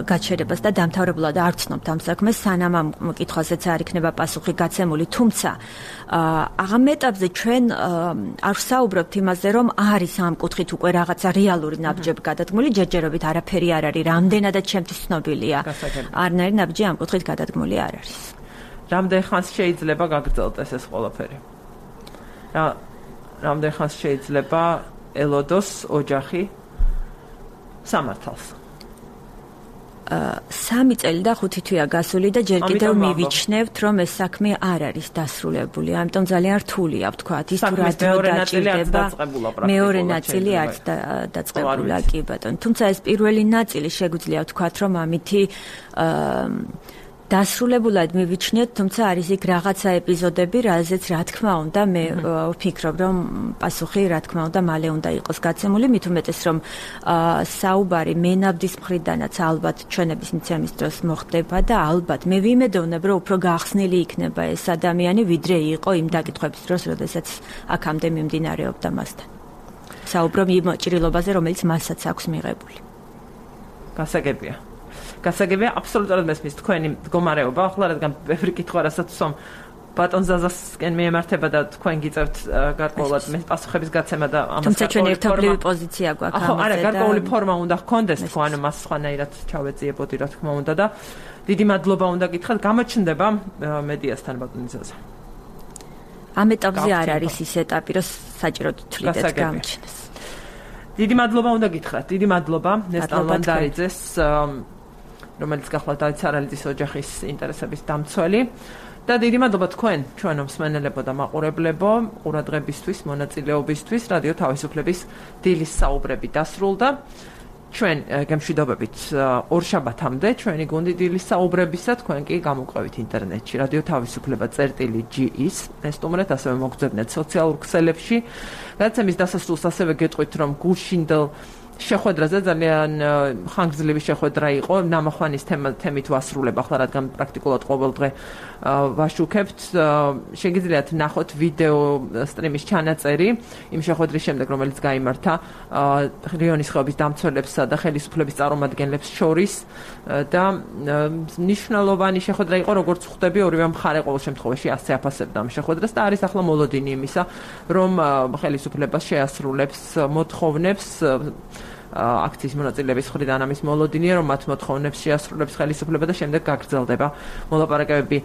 გაჩერებას და დამთავრებულად არ ვცნობთ ამ საქმეს, სანამ ამ კითხვაზეც არ იქნება პასუხი გაცემული, თუმცა ამ ეტაპზე ჩვენ არ ვსაუბრობთ იმაზე, რომ არის ამ კუთხით უკვე რაღაცა რეალური ნაბიჯები გადადგმული, ჯერჯერობით არაფერი არ არის, რამდენადაც ჩემთვის ცნობილია. არნაირი ნაბიჯი ამ კუთხით გადადგმული არ არის. რამდენ ხანს შეიძლება გაგრძელდეს ეს ყველაფერი? რამდენ ხანს შეიძლება ელოდოს ოჯახი სამართალს? 3 წელი და 5 თვეა გასული და ჯერ კიდევ მივიჩნევთ, რომ ეს საქმე არ არის დასრულებული. ამიტომ ძალიან რთულია ვთქვათ, ის თუ რა დრო დაჭირდება. მეორე ნაწილი არც დაწყებულა, კი ბატონო. თუმცა ეს პირველი ნაწილი შეგვიძლია ვთქვათ, რომ ამითი დასრულებულად მივიჩნიოთ, თუმცა არის იქ რაღაცა ეპიზოდები, რაზეც რა თქმა უნდა მე ვფიქრობ, რომ პასუხი რა თქმა უნდა მალე უნდა იყოს გაცემული, მით უმეტეს რომ საუბარი მენაბდის მხრიდანაც ალბათ ჩვენების მიცემის დროს მოხდება და ალბათ მე ვიმედოვნებ, რომ უფრო გახსნილი იქნება ეს ადამიანი, ვიდრე იყო იმ დაკითხვების დროს, როდესაც აქამდე მიმდინარეობდა მასთან. საუბრობ იმ ჭრილობაზე, რომელიც მასაც აქვს მიღებული. გასაგებია. გასაგებია, აბსოლუტურად მესმის თქვენი მდგომარეობა, ახლა რადგან ბევრი კითხვა რასაც ბატონ ზაზასკენ მიემართება და თქვენ გიწევთ გარკვეულად მე პასუხების გაცემა და ამას თუმცა ჩვენ ერთობლივი პოზიცია გვაქვს ამაზე და არა, გარკვეული ფორმა უნდა ჰქონდეს, თქვა ანუ მას სხვანაირად ჩავეძიებოდი რა თქმა უნდა და დიდი მადლობა უნდა გითხრათ, გამოჩნდება მედიასთან ბატონ ზაზა. ამ ეტაპზე არ არის ის ეტაპი, რომ საჭირო თვლიდეთ გამოჩნდეს. დიდი მადლობა უნდა გითხრათ, დიდი მადლობა ნესტან ლანდარიძეს, რომელიც გახლავთ დავით სარალიძის ოჯახის ინტერესების დამცველი და დიდი მადლობა თქვენ ჩვენო მსმენელებო და მაყურებლებო ყურადღებისთვის, მონაწილეობისთვის. რადიო თავისუფლების დილის საუბრები დასრულდა. ჩვენ გემშვიდობებით ორშაბათამდე ჩვენი გუნდი დილის საუბრებისა, თქვენ კი გამოყვებით ინტერნეტში რადიო თავისუფლება.gi-ის ესტუმრეთ, ასევე მოგძებნეთ სოციალურ ქსელებში. გადაცემის დასასრულს ასევე გეტყვით, რომ გუშინდელ შეხვედრაზე ძალიან ხანგრძლივი შეხვედრა იყო, ნამახვანის თემით ვასრულებ ახლა, რადგან პრაქტიკულად ყოველდღე ვაშუქებთ. შეგიძლიათ ნახოთ ვიდეო სტრიმის ჩანაწერი იმ შეხვედრის შემდეგ, რომელიც გაიმართა რიონის ხეობის დამცველებსა და ხელისუფლების წარმომადგენლებს შორის და მნიშვნელოვანი შეხვედრა იყო, როგორც ხვდები, ორივე მხარე ყოველ შემთხვევაში ასე აფასებდა ამ შეხვედრას და არის ახლა მოლოდინი იმისა, რომ ხელისუფლება შეასრულებს მოთხოვნებს აქციის მონაწილეების მხრიდან ამის მოლოდინია, რომ მათ მოთხოვნებს შეასრულებს ხელისუფლება და შემდეგ გაგრძელდება მოლაპარაკებები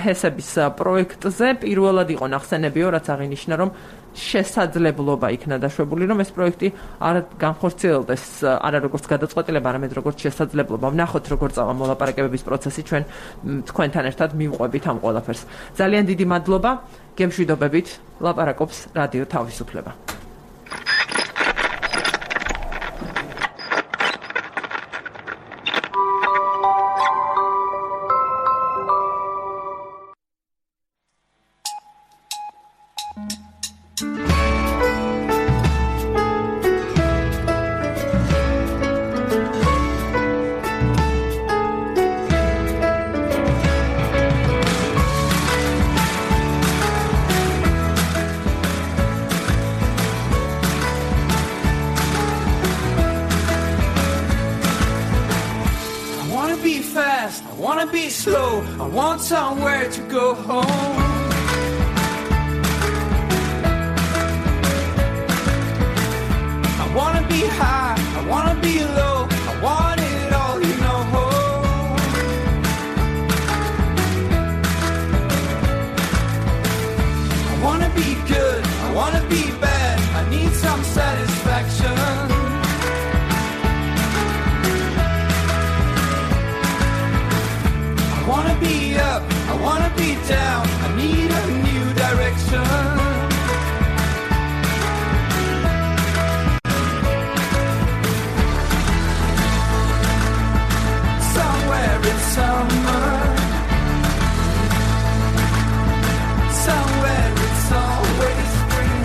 ჰესების პროექტზე. პირველად იყო ნახსენებიო, რაც აღინიშნა, რომ შესაძლებლობა იქნა დაშვებული, რომ ეს პროექტი არ განხორციელდეს, არა როგორც გადაწყვეტილება, არამედ როგორც შესაძლებლობა. ვნახოთ, როგორ წავა მოლაპარაკებების პროცესი, ჩვენ თქვენთან ერთად მივყვებით ამ ყველაფერს. ძალიან დიდი მადლობა, გემშვიდობებით, ლაპარაკობს რადიო თავისუფლება. wanna be slow, I want somewhere to go home. I wanna be high, I wanna be low, I want it all, you know. I wanna be good, I wanna be bad, I need some satisfaction. I wanna be up, I wanna be down, I need a new direction. Somewhere in summer, somewhere it's always spring.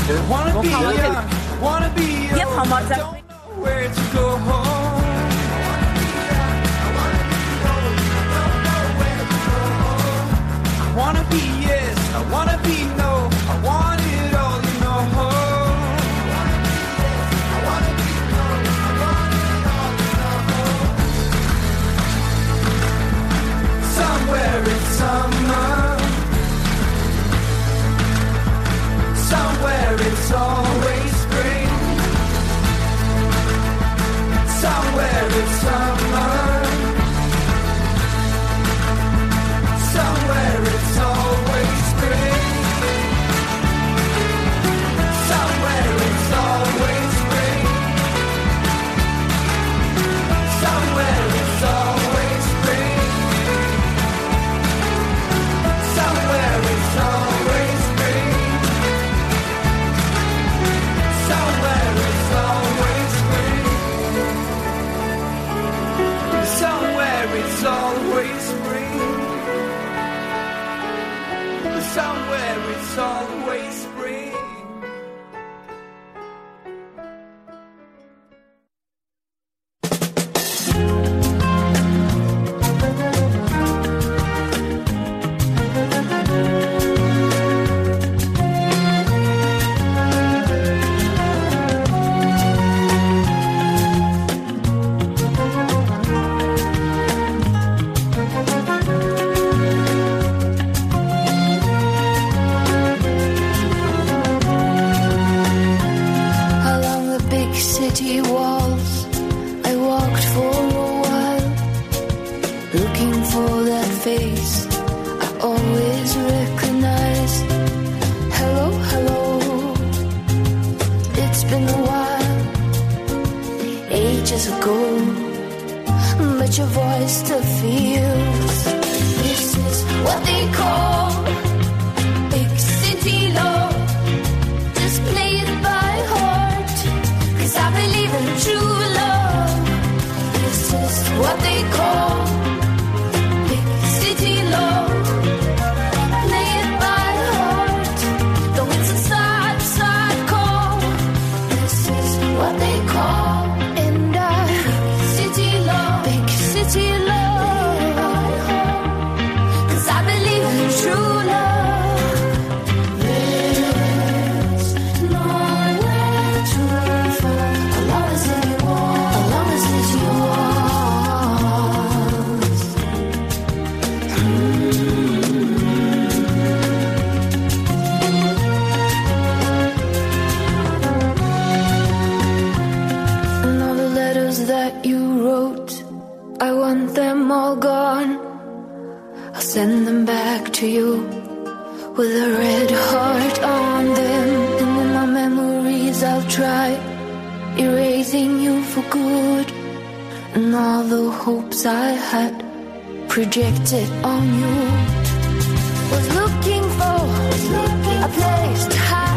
I wanna be young, I wanna be young, I don't know where to go home. I wanna be yes, I wanna be no, I want it all, you know. I wanna be no, I want it all, you know. Somewhere in summer, somewhere it's always spring. Somewhere it's summer, somewhere it's always spring. Somewhere it's always spring. Somewhere it's always spring. Somewhere it's always spring. Somewhere it's always spring. Somewhere it's always spring. Somewhere it's always spring. City walls, I walked for a while, looking for that face I always recognize. Hello, hello, it's been a while, ages ago, but your voice still feels. This is what they call big city love. Just play it by heart, 'cause I believe in true love. This is what they call big city love. Play it by heart, though it's a sad, sad call. This is what they call and big city love, big city love. 'Cause I believe in true love. There's nowhere to fall. Love is in you all, love is yours. And all the letters that you wrote, I want them all gone. I'll send them back to you with a red heart on them. And in my memories I'll try erasing you for good. And all the hopes I had projected on you was looking for a place to hide.